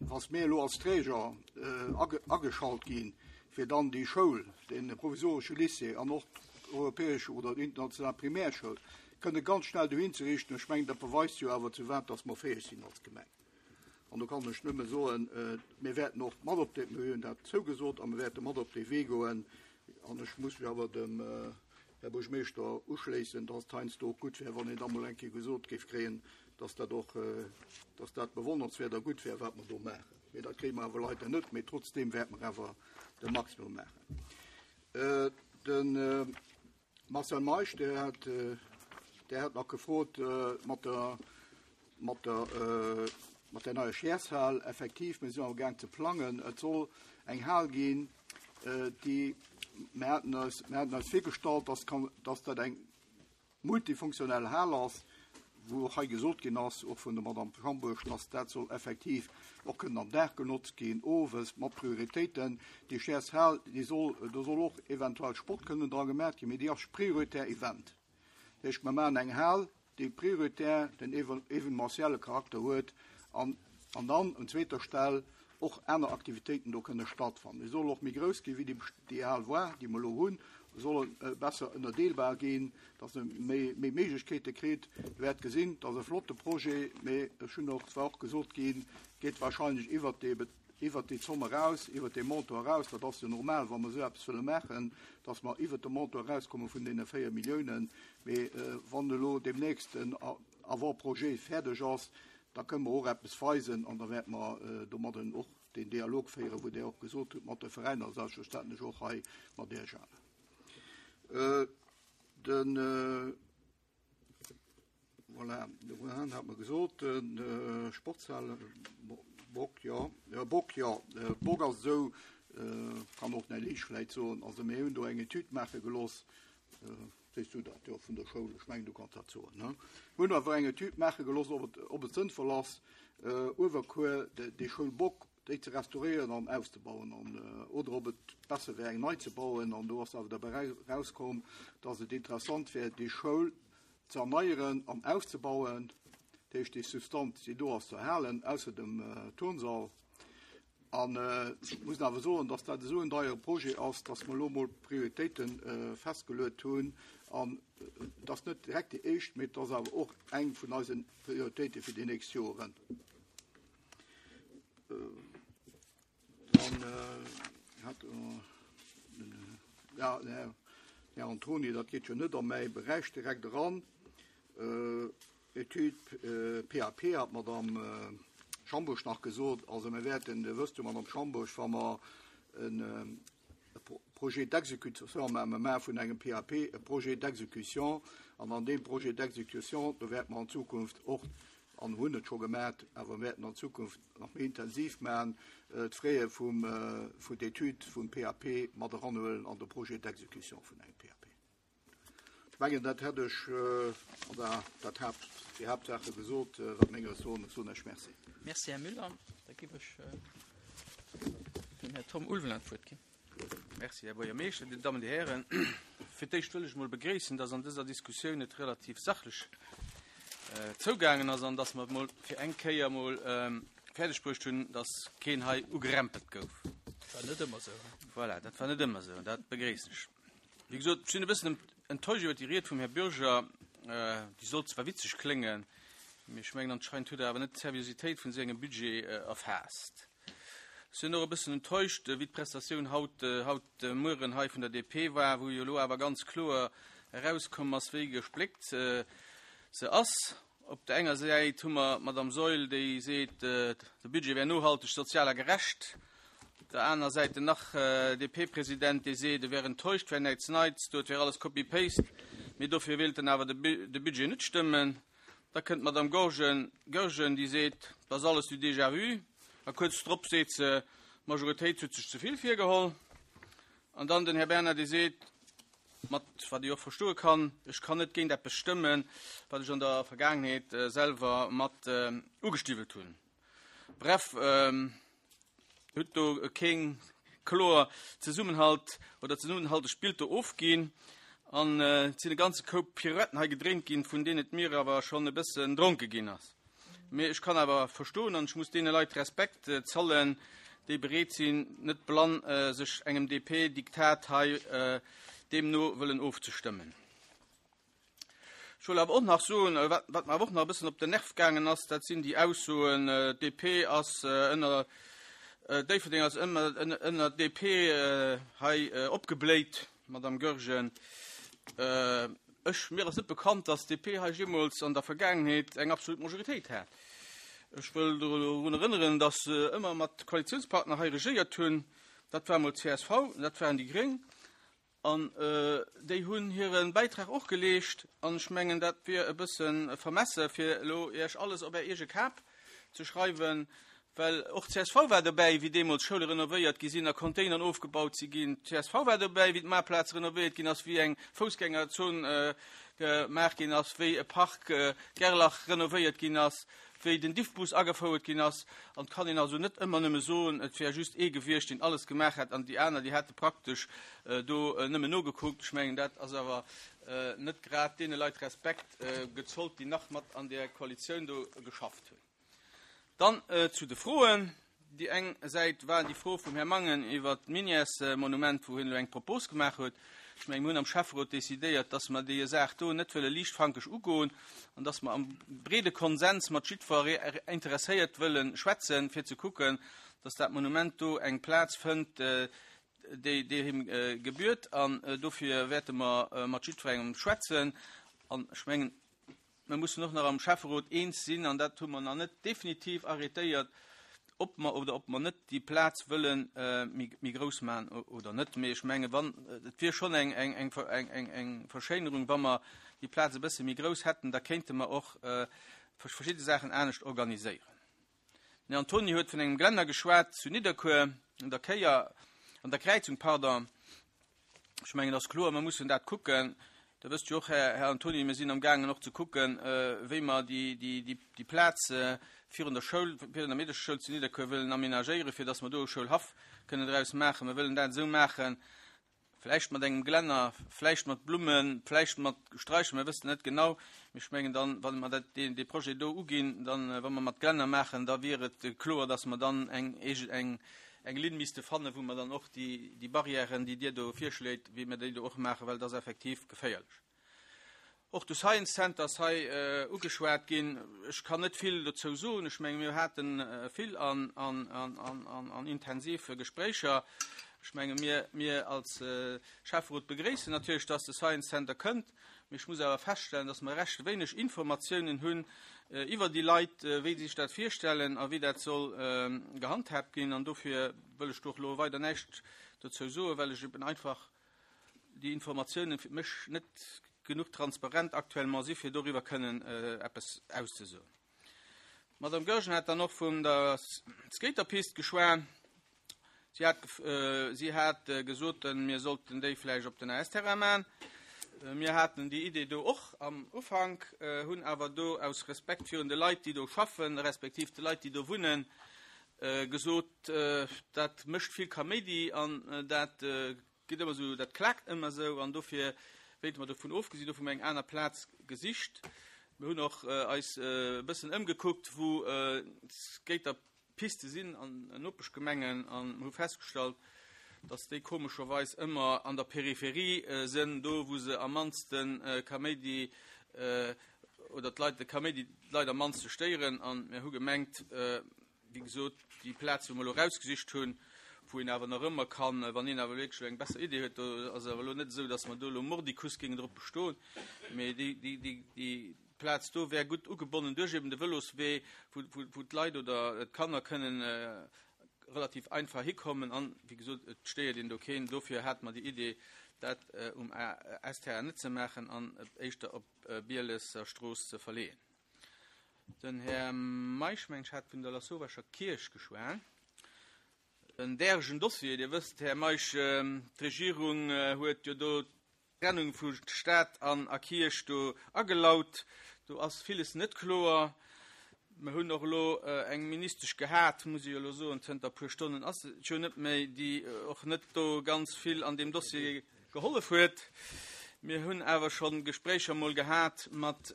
wa mir elo als Träger äh, age ageschalt ginn, fir dann déi Schoul, de provisoresche Lycée an och europäesch oder international Primärschoul, kënne ganz schnell dohin ze riichten. Ech mengen, dat beweist jo awer zu wat dass mer fäeg sinn als Gemeng. An do kann ech nëmme soen, äh, mir wäerten och mat op de, mir hunn dat zougesot a mir wäerte mat op de Wee goen. An ech muss mech awer dem äh, Här Buergermeeschter uschléissen, dass et heiansdo och gutt wär, wann een da mol eng Kéier gesot géif kréien, dass dat och, dass dat bewonnernswäert a gutt wär, wat mer do maachen. Mee dat kréie mer awer leider net, mee trotzdeem wäerte mer awer de Maximum maachen. De Marcel Meisch, dee hat, dee hat nach gefrot mat der, mat der, mat der neier Scheershal. Effektiv, mir sinn amgaang ze plangen. Et soll eng Hal ginn, déi, mir haten eis, mir haten eis virgestallt, dass kann, dass dat eng multifunktionell Hal ass, wou och hei gesot ginn ass, och vun der Madame Schambourg, dass dat soll effektiv och kënnen am Dag genotzt ginn, owes mat Prioritéiten. Déi Scheershal, déi soll, do soll och eventuell Sport kënnen dra gemaach ginn, mee déi ass prioritär Event. Dat heescht, mir maachen eng Hal, déi prioritär den evenementielle Charakter huet an, an dann un zweeter Stell och aner Aktivitéiten do kënne stattfannen. Déi soll och méi grouss ginn, wéi déi, déi Hal war, déi mer elo hunn, soll besser ënnerdeelbar ginn, dass e méi, méi Méiglechkeete kritt. Dir wäert gesinn, dat ass e flotte Projet, mee ech hunn och, et war och gesot ginn, geet wahrscheinlech iwwert dee, iwwert déi Zomm eraus, iwwert dee Montant eraus. Dat ass jo normal, wa mer esou eppes wëlle maachen, dass mer iwwert de Montant erauskomme vun deene véier Milliounen. Mee wann elo deemnächst den Avant-projet fäerdeg ass, da kënne mer och eppes weisen an da wäerte mer domadden och den Dialog féieren, wou Dir och gesot hutt, mat de Veräiner, selbstverständlech och hei mat Iech allen. Den, voilà, de Rohan hat mer gesot, den Sportshal Bock, jo, Bock, jo, Bock ass esou, kann och den Här Liesch vläicht soen, also mir hunn do eng Etüd maache gelooss, Sees du dat? Jo, vun der Schoul. Ech mengen, du kanns dat soen, ne? Mir hunn awer eng Etüd maache gelooss, ob et, ob et sënnvoll ass, Uewerkuer, déi Schoul Bock, déi ze restauréieren an auszebauen an, oder ob et besser wär, eng nei ze bauen. An do ass awer derbäi erauskomm, dass et interessant wär, déi Schoul ze erneieren an auszebauen, dat heescht, déi Substanz, déi do ass, ze erhalen, ausser dem Turnsall. An ech muss awer soen, dass dat esou en deiere Projet ass, dass mer elo mol Prioritéite festgeluet hunn. An et ass net direkt déi éischt, mee et ass awer och eng vun eise Prioritéite fir déi nächst Joren. Dann hat ja, den Här Antoni, dat geet jo net a mäi Beräich direkt eran. Etüd P A P hat d'Madame Schambourg nach gesot. Also mir wäerten, Dir wësst jo, Madame Schambourg, wa mer en Projet d'exécution maache vun engem P A P, e Projet d'exécution, an an deem Projet d'exécution, do wäerte mer an Zukunft och, an hunn et scho gemaach, awer wäerten an Zukunft nach méi intensiv maachen, d'Fraie vum, vun d'Etüd vum P A P mat eranhuelen an de Projet d'exécution vun engem P A P. Ech mengen, dat hätt ech, oder dat Haupt, déi Haaptsache gesot, wat meng Ressourcen, ech soen Iech Merci. Merci, Här Müller. Da gebe ech dem Här Tom Ulveling d'Wuert ginn. Merci, Här Buergermeeschter, Dir Dammen, Dir Hären. Fir d'éischt wëll ech mol begréissen, dass an dëser Diskussioun et relativ sachlech zougaangen ass an dass mer mol fir eng Kéier mol fäerdeg bruecht hunn, dass keen hei ugerempelt gouf. Dat war net ëmmer esou. Voilà, dat war net ëmmer esou, dat begréissen ech. Wéi gesot, ech sinn e bëssen enttäuscht iwwer déi Ried vum Här Bürger. Déi sollt zwar witzeg kléngen, mee ech mengen, anscheinend huet er awer net d'Seriositéit vun sengem Budget erfaasst. Ech sinn och e bëssen enttäuscht, wéi d'Prestatioun haut, haut de Mueren hei vun der D P war, wou jo elo awer ganz kloer erauskomm ass, wéi gespléckt se ass. Op der enger Säit hu mer d'Madame Saeul, déi seet, de Budget wär nohalteg, sozial a gerecht. Op der aner Säit den nach D P-President, dee seet, e wär enttäuscht, wär näischt Neits, dort wär alles Copy-Paste, mee dofir wéilt en awer de Budget net stëmmen. Da kënnt d'Madame Goergen, Goergen, déi seet, dat ass alles du déjà vu. A kuerz drop seet se, d'Majoritéit huet sech ze vill virgeholl. An dann den Här Bernard, dee seet, mat wat ich och verstoe kann, ech kann net géint eppes stëmmen, wat ech an der Vergaangenheet selwer mat ugestiwwelt hunn. Bref, huet do keng kloer Zesummenhalt oder zesummenhaltegt Bild do ofginn an et sinn e ganze Koup Pirouetten hei gedréint ginn, vun deenen et mir awer schonn e bëssen dronke ginn ass. Mee ech kann awer verstoen an ech muss deene Leit Respekt zollen, déi bereet sinn, net blann sech engem D P-Diktat hei deemno wëllen ofzestëmmen. Ech wëll awer och nach soen, wat, wat mir awer och nach e bëssen op den Nerv gaangen ass, dat sinn déi Aussoen, D P ass ënner, Déifferdeng ass ëmmer ënner D P hei opgebléit, Madame Goergen. Ech, mir ass net bekannt, dass d'DP hei jeemools an der Vergaangenheet eng absolut Majoritéit hat. Ech wëll dorun erënneren, dass se ëmmer mat Koalitionspartner hei regéiert hunn. Dat war emol d'CSV, dat waren déi Gréng. An déi hunn hire Bäitrag och geleescht. An ech mengen, dat wier e bësse vermesse, fir elo Iech alles op Är eege Kap ze schreiwen, well och d'CSV war dobäi, wéi deemools Schoule renovéiert gi sinn a Containeren ofgebaut si ginn. D'CSV war dobäi, wéi d'Maartplaz renovéiert ginn ass, wéi eng Foussgängerzon gemaach ginn ass, wéi e Park Gerlach renovéiert ginn ass, wéi den Diffbus agefouert ginn ass. An et kann een also net ëmmer nëmme soen, et wär just ee gewiescht, deen alles gemaach hätt an déi aner, déi hätte praktesch do nëmmen nogekuckt. Ech mengen, dat ass awer net grad deene Leit Respekt gezollt, déi nach mat an där Koalitioun do geschafft hunn. Dann zu de Froen. Déi eng Säit war déi Fro vum Här Mangen iwwert d'Minièresmonument, wou hien elo eng Propos gemaach huet. Ech mengen, mir hunn am Schäfferot decidéiert, dass mer déi Saach do net wëlle liichtfankeg ugoen an dass mer am breede Konsens mat jiddwer Interesséiert wëlle schwätzen, fir ze kucken, dass dat Monument do eng Plaz fënnt, déi déi him gebührt. An dofir wäerte mer mat jiddwerengem schwätzen. An ech mengen, mir mussen och nach am Schäfferot eens sinn, an dat hu mer nach net definitiv arrétéiert, ob mer oder ob mer net déi Plaz wëlle méi grouss maachen oder net. Mee ech menge wann, et wier schonn eng, eng, eng, eng, eng, eng Verschéinerung, wa mer déi Plaz e bësse méi grouss hätten, da kéinte mer och verschidde Saachen anescht organiséieren. Den Här Antoni huet vun engem Glänner geschwat zu Nidderkuer an der Kéier, an der Kräizung, pardon. Ech mengen, dat ass kloer, mer mussen dat kucken. Der wësst jo och, Här, Här Antoni, mir sinn am gaangen och ze kucken, wéi mer déi, déi, déi, déi Plaz virun der Schoul, virun der Meedercheschoul zu Nidderkuer wëllen aménagéieren, fir dass mer do e Schoulhaff kënnen draus maachen. Mir wëllen dat esou maachen, vläicht mat engem Glänner, vläicht mat Blummen, vläicht mat Straicher, mir wëssen net genau. Mee ech mengen dann, wann mer dat, deen, dee Projet do uginn, dann, wa mer mat Glänner maachen, da wier et kloer, dass mer dann eng, eng, eng Linn misste fannen, wou mer dann och déi, déi Barrièren, déi Dir do virschléit, wéi mer déi do och maachen, well dat ass effektiv geféierlech. Och de Science Center ass hei ugeschwat ginn. Ech kann net vill dozou soen. Ech menge mir hate vill an, an, an, an, an, an intensiv Gespréicher. Ech menge mir, mir als Schäfferot begréissen natierlech, dass de Science Center kënnt. Mee ech muss awer feststellen, dass mer recht wéineg Informatiounen hunn iwwer déi Leit, wéi si sech dat virstellen a wéi dat soll gehandhaabt ginn. An dofir wëll ech do och elo weider näischt dozou soen, well ech eben einfach déi Informatiounen fir mech net genuch transparent actuellement si fir doriwwer kënnen eppes auszesoen. D'Madame Goergen hat dann och vun der Skaterpist geschwat. Si hat, si hat gesot, mir sollten déi vläicht op den A S-Terrain maachen. Mir haten déi Idee do och am Ufank, hunn awer do aus Respekt virun de Leit, déi do schaffen, respektiv de Leit, déi do wunnen, gesot, dat mécht vill Kaméidi an dat geet ëmmer esou, dat klaakt ëmmer esou an dofir wéilte mer dovun ofgesinn, dofir hu mer eng aner Plaz gesicht. Mir hunn och eis e bëssen ëmgekuckt, wou Skaterpiste sinn an Nopeschgemengen an hu festgestallt, dass déi komescherweis ëmmer an der Peripherie sinn, do wou se am mannste Kaméidi oder d'Leit de Kaméidi d'Leit am mannste stéieren. An mir hu gemengt, wéi gesot, déi Plaz, wou mer elo erausgesicht hunn, wou een awer nach ëmmer kann, wann een awer wierklech eng besser Idee huet, do ass awer elo net esou, dass mer do elo mordicus géingen drop bestoen, mee déi, déi, déi, déi Plaz do wär gutt ugebonnen duerch eben de Vëloswee, wou, wou, wou d'Leit oder d'Kanner kënnen relativ einfach hikommen an, wéi gesot, et stéiert een do keen. Dofir hate mer déi Idee, dat um A S-Terrain net ze maachen an éischter op Bielesser Strooss ze verleeën. Den Här Meisch, mengen ech, hat vun der Lasauvescher Kierch geschwat. En däregen Dossier, Dir wësst, Här Meisch, d'Regierung huet jo do d'Trennung vu Staat an a Kierch do agelaut. Do ass villes net kloer. Mir hunn och elo eng Ministesch gehat, muss ech jo elo soen, zënter e puer Stonnen ass et jo net méi, déi och net do ganz vill an deem Dossier gehollef huet. Mir hunn awer scho Gespréicher mol gehat mat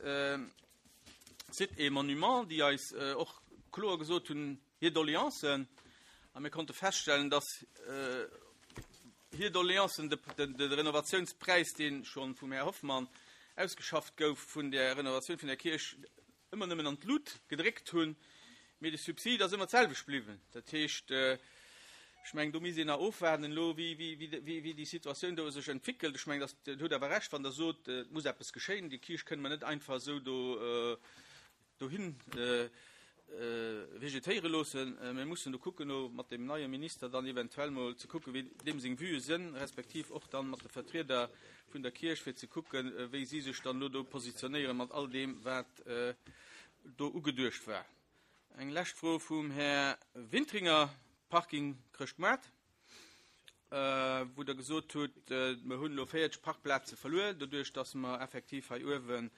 Sites et Monuments, déi eis och kloer gesot hunn, hir Doleancen. A mir konnte feststellen, dass hir Doleancen de, de, de Renovatiounspräis, dee schonn vum Här Hoffmann ausgeschafft gouf, vun der Renovatioun vun der Kierch, ëmmer nëmmen an d'Lut gedréckt hunn, mee de Subsid ass ëmmer d'selwecht bliwwen. Dat heescht, Ech mengen, do misst een nach ofwaarden elo, wéi, wéi, wéi, wéi, wéi déi Situatioun do sech entwéckelt. Ech mengen, dass, hutt awer Recht, wann Der sot, et muss eppes geschéien. Déi Kierch kënne mer net einfach esou do, dohin vegetéiere loossen. Mir mussen do kucken, elo mat deem neie Minister dann eventuell mol ze kucken, wéi deem seng Vuë sinn, respektiv och dann mat de Vertrieder vun der Kierch, fir ze kucken, wéi si sech dann elo do positionéiere mat all deem, wat do ugeduecht war. Eng lescht Fro vum Här Wintringer, Parking Chrëschtmoart, wou Der gesot hutt, mer hunn elo véierzeg Parkplaze verluer, doduerch datt mer effektiv hei uewen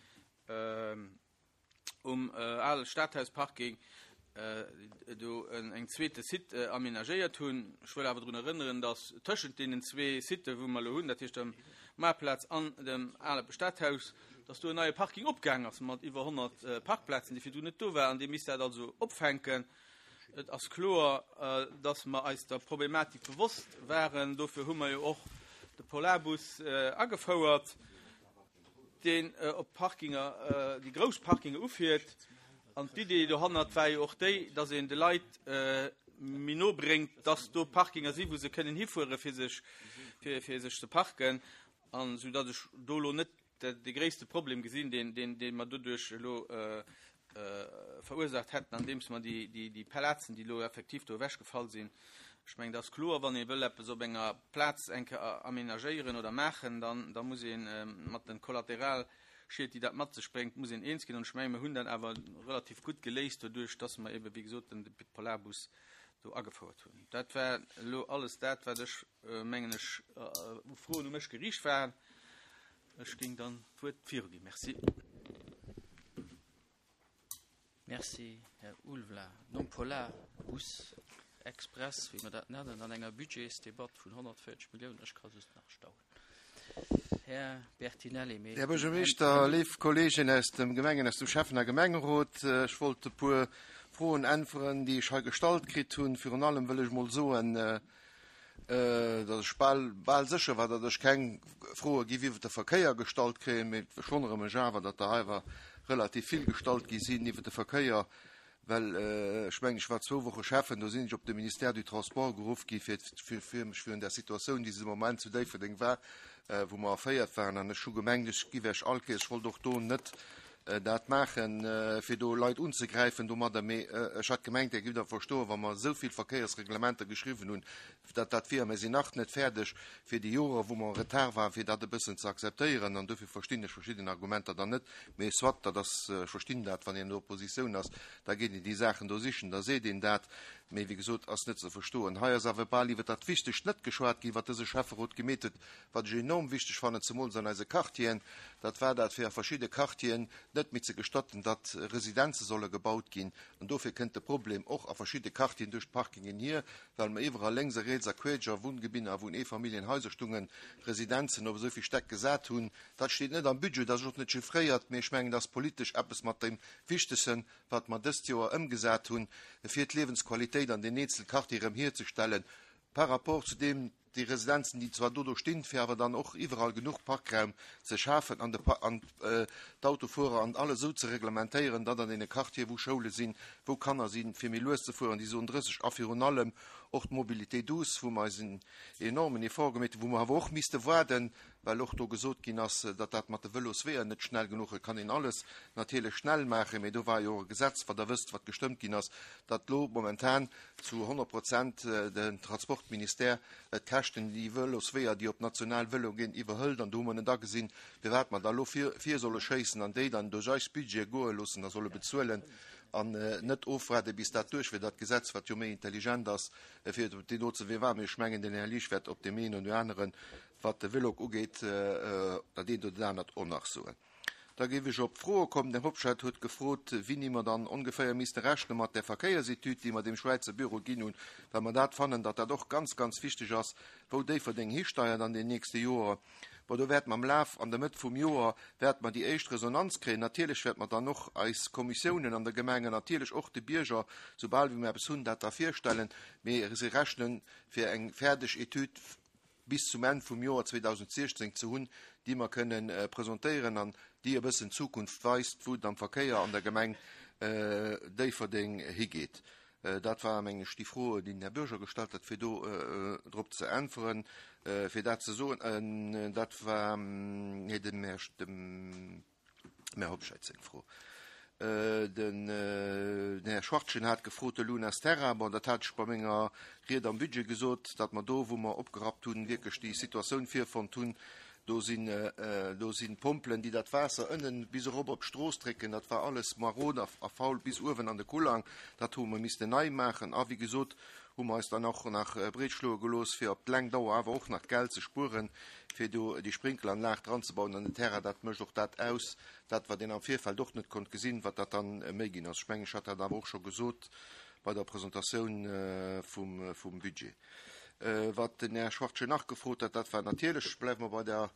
um ale Stadhausparking do eng zweete Site amenagéiert hunn. Ech wëll awer drun erënneren, datt tëschent deenen zwee Siten, wou mer elo hunn, dat heescht dem Maartplaz an dem ale Stadhaus, datt do en neie Parking opgaang ass mat iwwer honnert Parkplazen, déi virdrun net do waren. Dee misst dat also opfänken. Et ass kloer, datt mer eis der Problematik bewosst waren. Dofir hu mer jo och de Polarbus agefouert, deen op d'Parkinger, déi grouss Parkinge ufiert. An d'Idee dohannert war jo och déi, datt een de Leit méi no bréngt, datt do Parkinger sinn, wou se kënnen hifuere fir sech, fir, fir sech ze parken. An esou datt ech do elo net de gréisste Problem gesinn, deen, deen, dee mer doduerch elo verursaacht hätten, andeems mer déi, déi, déi Plazen, déi elo effektiv do ewechgefall sinn. Ech mengen, dat ass kloer, wann ee wëll eppes op enger Plaz eng Kéier amenagéieren oder maachen, dann, da muss ee mat de Kollateralschied, déi dat mat sech bréngt, muss een eens ginn. An ech mengen, mir hunn dat awer relativ gutt geléist doduerch, dass mer eebe, wéi gesot, den Polarbus do agefouert hunn. Dat war elo alles dat, wat ech, mengen ech, u Froen u mech geriicht waren. Ech géing dann d'Wuert viruginn. Merci. Merci, Här Ulvla. Nom Polarbus Express, wéi mer dat nennen, an enger Budgetsdebatt vun honnertvéierzeg Milliounen, ech ka just nach staunen. Här Bertinelli, mee Här Buergermeeschter, léif Kolleegen aus dem Gemengen, aus dem Schäffen a Gemengerot, ech wollt e puer Froen äntweren, déi ech hei gestallt kritt hunn. Virun allem wëll ech mol soen, datt ech bal, bal sécher war, datt ech keng Froe giff iwwert de Verkéier gestallt kréien, mee ech wonnere mech awer, datt der awer relativ vill gestallt gi sinn iwwert de Verkéier, well ech mengen, ech war zwou Woche Schäffen, do sinn ech op de Ministère du Transport geruff gi fir, fir, fir mech virun der Situatioun, déi se de Moment zu Déifferdeng war, wou mer erféiert waren, an ech hu gemengt, ech giff Iech all Kéiers, ech wollt och do net dat maachen, fir do Leit unzegräifen domadder, mee ech hat gemengt, Dir giff dat verstoen, wa mer esou vill Verkéiersreglementer geschriwwen hunn, datt dat wier. Mir sinn nach net fäerdeg fir déi Joren, wou mer en retard waren, fir dat e bëssen ze akzeptéieren, an dofir verstinn ech verschidden Argumenter dann net. Mee soit, dat ass, ech verstinn dat, wann een an der Oppositioun ass, da geet een déi Saachen do sichen, da seet een dat, mee wéi gesot, ass net ze verstoen. Hei ass awer bal iwwer dat Wichtegst net geschwat ginn, wat dëse Schäfferot gemeet huet, wat ech enorm wichteg fannen, zemools an eise Quartieren, dat war dat, fir a verschidde Quartieren net méi ze gestatten, datt Residenze solle gebaut ginn. An dofir kënnt de Problem och a verschidde Quartieren duerch d'Parkingen hier, well mer iwwerall lénks a riets a queesch a Wunngebinner a Wunneefamilljenhaiser stungen, Residenzen op esou vill Stäck gesat hunn. Dat steet net am Budget, dat ass och net chiffréiert, mee ech mengen, dat ass politesch eppes mat dem Wichtegsten, wat mer dëst Joer ëmgesat hunn, fir d'Liewensqualitéit an den eenzel Quartiere erëm hierzestellen, par rapport zu deem, déi Residenzen, déi zwar do do stinn, fir awer dann och iwwerall genuch Parkraum ze schafen an de Pa-, an d'Autofuerer an alles esou ze reglementéieren, datt an deene Quartieren, wou Schoule sinn, wou Kanner sinn, fir méi lues ze fueren, déi Zone drësseg a virun allem och d'Mobilité douce, wou mer eis en enormen Effort gemeet hunn, wou mer awer och misste waarden, well och do gesot ginn ass, datt dat mat de Vëlosweeër net schnell genuch, et kann een alles natierlech schnell maachen, mee do war jo och e Gesetz, wat Der wësst, wat gestëmmt ginn ass, datt elo momentan zu honnert Prozent den Transportministère d'Käschten, déi Vëlosweeër, déi op national Vëlo ginn, iwwerhëlt. An do hu mer net agesinn, firwat mer da elo vir, vir solle schéissen an déi dann duerch eis Budget goe loossen a solle bezuelen an net ofwaarde bis dat duerch wier, dat Gesetz, wat jo méi intelligent ass, fir op deen do ze wee war. Mee ech mengen, den Här Liesch wäert op deem een oder aneren, wat de Vëlog ugeet, dat eent oder dat anert och nach soen. Da géif ech op d'Froe kommen. Den Hobscheit huet gefrot, wéini mer dann ongeféier misste rechne mat der Verkéiersetüd, déi mer dem Schwäizer Büro ginn hunn, well mer dat fannen, datt dat och ganz, ganz wichteg ass, wou Déifferdeng histeiert an den nächste Joer. Bon, do wäert mer am Laf an der Mëtt vum Joer wäert mer déi éischt Resonanz kréien. Natierlech wäert mer dann och eis Kommissiounen an der Gemeng an natierlech och de Bierger, soubal wéi mer eppes hunn, dat da virstellen. Mee se rechnen fir eng fäerdeg Etüd bis zum Enn vum Joer zweedausendsechzehn ze hunn, déi mer kënnen presentéieren an déi e bëssen Zukunft weist, wou et am Verkéier an der Gemeng Déifferdeng higeet. Dat war mengen ech déi Fro, déi den Här Bürger gestallt hat, fir do drop ze äntweren, fir dat ze soen. Dat war, nee, dem Här, dem Här Hobscheit seng Fro. Den Här Schwachtgen hat gefrot, de Lunas Terra, bon, dat hat ech bei menger Ried am Budget gesot, datt mer do, wou mer opgerappt hunn, wierklech déi Situatioun virfonnt hunn, do sinn, do sinn Pompelen, déi dat Waasser ënnen bis erop op d'Strooss drécken, dat war alles marod a faul bis uewen an de Kullang, dat hu mer missten nei maachen. A wéi gesot, hu mer eis dann och nach breetschloe gelooss, fir op d'laang Dauer awer och nach Geld ze spueren, fir do déi Sprinkelanlag dranzebauen an den Terrain. Dat mécht och dat aus, dat wat een am Virfeld och net konnt gesinn, wat dat dann méi ginn ass. Ech mengen, ech hat dat awer och scho gesot bei der Presentatioun vum, vum Budget. Wat den Här Schwachtgen nach gefrot hat, dat war natierlech, bleiwe mer bei der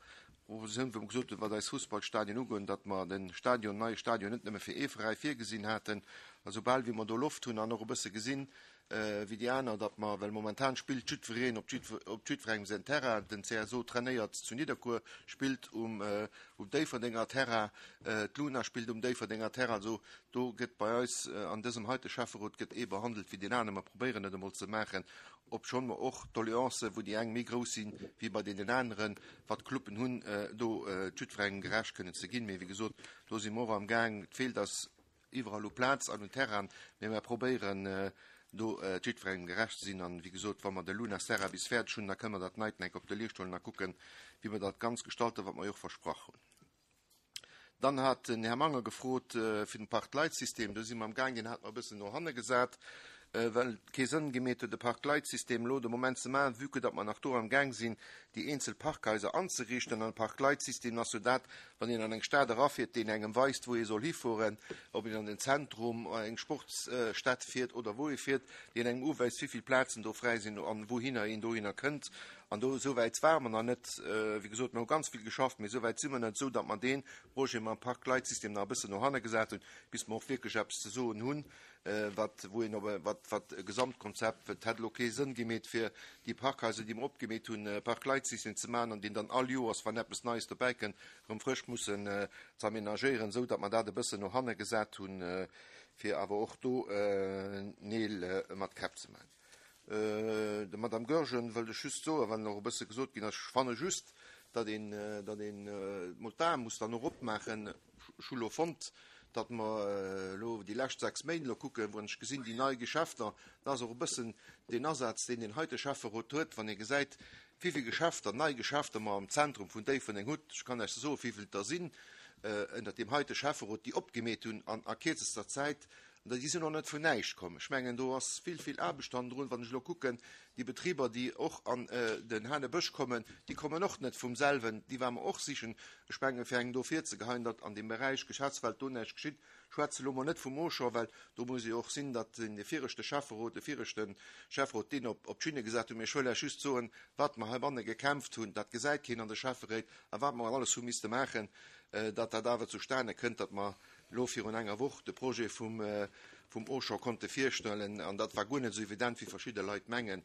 Propositioun, wou mer gesot hunn, wat eis Fussballstadien ugoen, datt mer de Stadion, neie Stadion net nëmme fir ee Veräi virgesinn haten. A soubal wéi mer do Loft hunn an och e bësse gesinn, wéi déi aner, datt mer, well momentan spillt jiddwereen op op jiddwerengem säin Terrain, den C S O trainéiert zu Nidderkuer, spillt um um Déifferdenger Terrain, d'Luna spillt um Déifferdenger Terrain, also do gëtt bei eis an dësem heite Schäfferot gëtt ee behandelt wéi deen aner. Mer probéieren et emol ze maachen, obschonn mer och Doleancen, wou déi eng méi grouss sinn wéi bei deenen aneren, wat d'Cluben hunn, do jiddwerengem gerecht kënnen ze ginn. Mee wéi gesot, do si mer och am Gaang. Et feelt eis iwwerall u Plaz an un Terrain, mee mer probéieren do jiddwerengem gerecht ze sinn. An wéi gesot, wa mer de Luna Serra bis fäerdeg hunn, da kënne mer dat neit enk op de Liicht huelen a kucken, wéi mer dat ganz gestalten, wat mer jo och versprach hunn. Dann hat den Här Manger gefrot fir den Park-Light-System. Do si mer am Gaang, deen hat mer e bëssen no hanne gesat, well et kee Sënn gemeet huet, de Park-Light-System elo de Moment ze maachen, vue que datt mer nach do am Gaang sinn, déi eenzel Parkhaiser anzeriichten. An e Park-Light-System ass jo dat, wann een an eng Stad erafiert, deen engem weist, wou ee soll hifueren, ob een an den Zentrum, an eng Sportsstad fiert oder wou ee fiert, deen engem uweist, wéi vill Plazen do fräi sinn an wouhinner een dohinner kënnt. An do esou wäit ware mer nach net. Wéi gesot, mer hu ganz vill geschafft, mee esou wäit si mer net, esou datt mer dee Projet mam Park-Light-System nach e bëssen no hanne gesat hunn, bis mer och wierklech eppes ze soen hunn, wat, wou een op, wat, wat e Gesamtkonzept, et hätt elo kee Sënn gemeet, fir déi Parkhaiser, déi mer opgemeet hunn, Park-Light-System ze maachen an deen dann all Joers, wann eppes Neies dobäi kënnt, erëm frësch mussen ze aménagéieren, esou datt mer dat e bëssen no hanne gesat hunn, fir awer och do Neel mat Käpp ze maachen. Der Madame Goergen wëllt ech just soen, well och e bësse gesot ginn ass, ech fanne just, datt een, datt een mol d'Ae muss dann och opmaachen. Ech hu lo fonnt, datt mer elo déi lescht sechs Méint elo kucken, wou ech gesinn, déi nei Geschäfter, da ass och e bëssen deen Asaz, deen den heite Schäfferot huet, wann ee gesäit, wéi vill Geschäfter, nei Geschäfter mer am Zentrum vun Déifferdeng hutt. Ech kann Iech soen, wéi vill der sinn, ënner deem heite Schäfferot, déi opgemeet hunn an a kierzester Zäit. An déi sinn och net vun näischt komm. Ech mengen, do ass vill, vill Aarbecht hannendrun. Wann ech elo kucken, déi Betriber, déi och an den Hanebësch kommen, déi kommen och net vum selwen. Déi waren mer och sichen. Ech mengen, fir engem do virzegeheien, datt an dem Beräich Geschäftswelt do näischt geschitt. Schwätze lo mol net vum Auchan, well do muss ee och sinn, datt den viregte Schäfferot, de viregte Schäfferot deen op, op d'Schinne gesat huet. Mee ech wëll Iech just soen, wat mer heibanne gekämpft hunn, dat gesäit keen an de Schäfferéit, a wat mer alles hu misste maachen, datt dat awer zustane kënnt, datt mer lo virun enger Woch de Projet vum, vum Auchan konnte virstellen. An dat war guer net esou evident, wéi verschidde Leit mengen,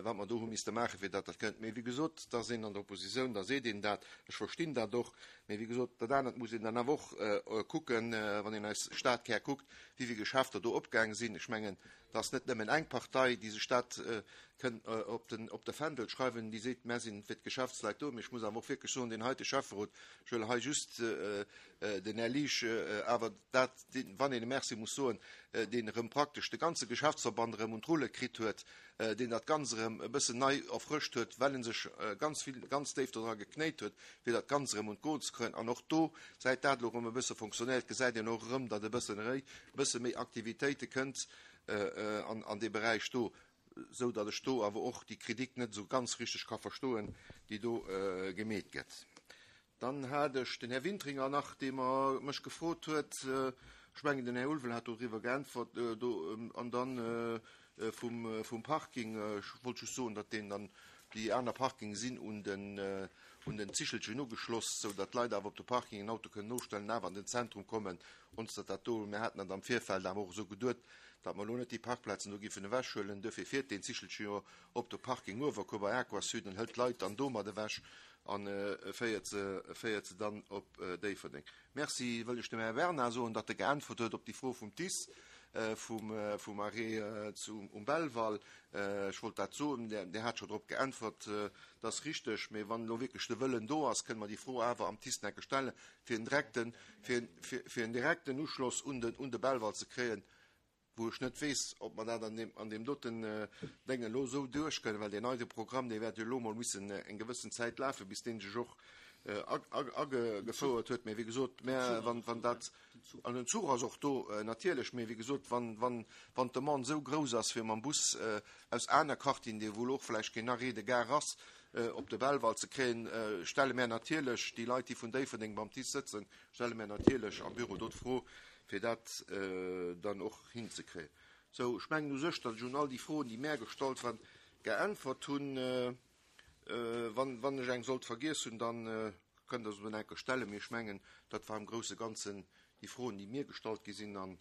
wat mer do hu misste maachen, fir datt dat kënnt. Mee wéi gesot, da sinn an der Oppositioun, da seet een dat, ech verstinn dat och. Mee wéi gesot, dat anert muss een dann awer och kucken, wann een eis Stadkär kuckt, wéi vill Geschäfter do opgaange sinn. Ech mengen, dat ass net nëmmen eng Partei, déi sech dat kënnt op den, op de Fändel schreiwen, déi seet, mer sinn fir d'Geschäftsleit do. Mee ech muss awer och wierklech soen, deen heite Schäfferot, ech wëll hei just den Här Liesch, awer dat, deen, wann een e Merci muss soen, deen erëm praktesch de ganze Geschäftsverband erëm un d'Rulle kritt huet, deen dat Ganze erëm e bëssen nei erfrëscht huet, well en sech ganz vill, ganz déif dodra geknéit huet, fir dat Ganze erëm un d'Goen ze kréien. An och do, säit dat elo erëm e bësse funktionéiert, gesäit een och erëm, datt e bëssen réi, e bësse méi Aktivitéite kënnt an, an dee Beräich do, sou datt ech do awer och déi Kritik net esou ganz richteg ka verstoen, déi do gemeet gëtt. Dann hat ech den Här Wintringer nach, dee mer mech gefrot huet, ech mengen, den Här Ulvel hat doriwwer geäntwert, do, an dann vum, vum Parking, ech wollt just soen, datt deen dann déi aner Parking sinn un den, un den Zichelchen ugeschloss, sou datt d'Leit awer op de Parking en Auto kënnen nostellen, awer an den Zentrum kommen, ons datt dat do, mir haten dat am Virfeld awer och esou geduet, datt mer lo net déi Parkplazen do giffen ewechhuelen, duerfir fiert deen Zichelchen jo op de Parking Uewerkuer bei Aquasud an hëlt d'Leit dann domat ewech an féiert se, féiert se dann op Déifferdeng. Merci wëll ech dem Här Bernard soen, datt e geäntwert huet op déi Fro vum T I S. vum, vum Arrêt zum, um Belval. Ech wollt dat soen, Dir, Dir hat schonn drop geäntwert, dat ass richteg, mee wann elo wierklech de Wëllen do ass, kënne mer déi Fro awer am TICE enke stellen, fir en direkten, fir, fir, fir en direkten Uschloss un den, un de Belval ze kréien, wou ech net weess, ob mer dat an deem, an deem doten Déngen elo esou duerchkréien, well deen neie Programm, dee wäert jo elo mol missen eng gewëssen Zäit lafen, bis dee sech och agefouert huet. Mee wéi gesot, mä wann, wann dat, an den Zuch ass och do natierlech, mee wéi gesot, wann, wann, wann d'Demande esou grouss ass, fir mam Bus aus aner Quartieren, déi wou och vläicht keen Arrêt de gare ass, op de Belval ze kréien, stelle mär natierlech déi Leit, déi vun Déifferdeng beim TICE sëtzen, stelle mär natierlech am Büro do d'Fro, fir dat dann och hinzekréien. Sou, ech mengen u sech, datt ech un all déi Froen, déi mär gestallt waren, geäntwert hunn. Wann, wann ech eng sollt vergiess hunn, dann kënnt Der se mir enke stellen. Mee ech mengen, dat war am grousse Ganzen déi Froen, déi mir gestallt gi sinn. Dann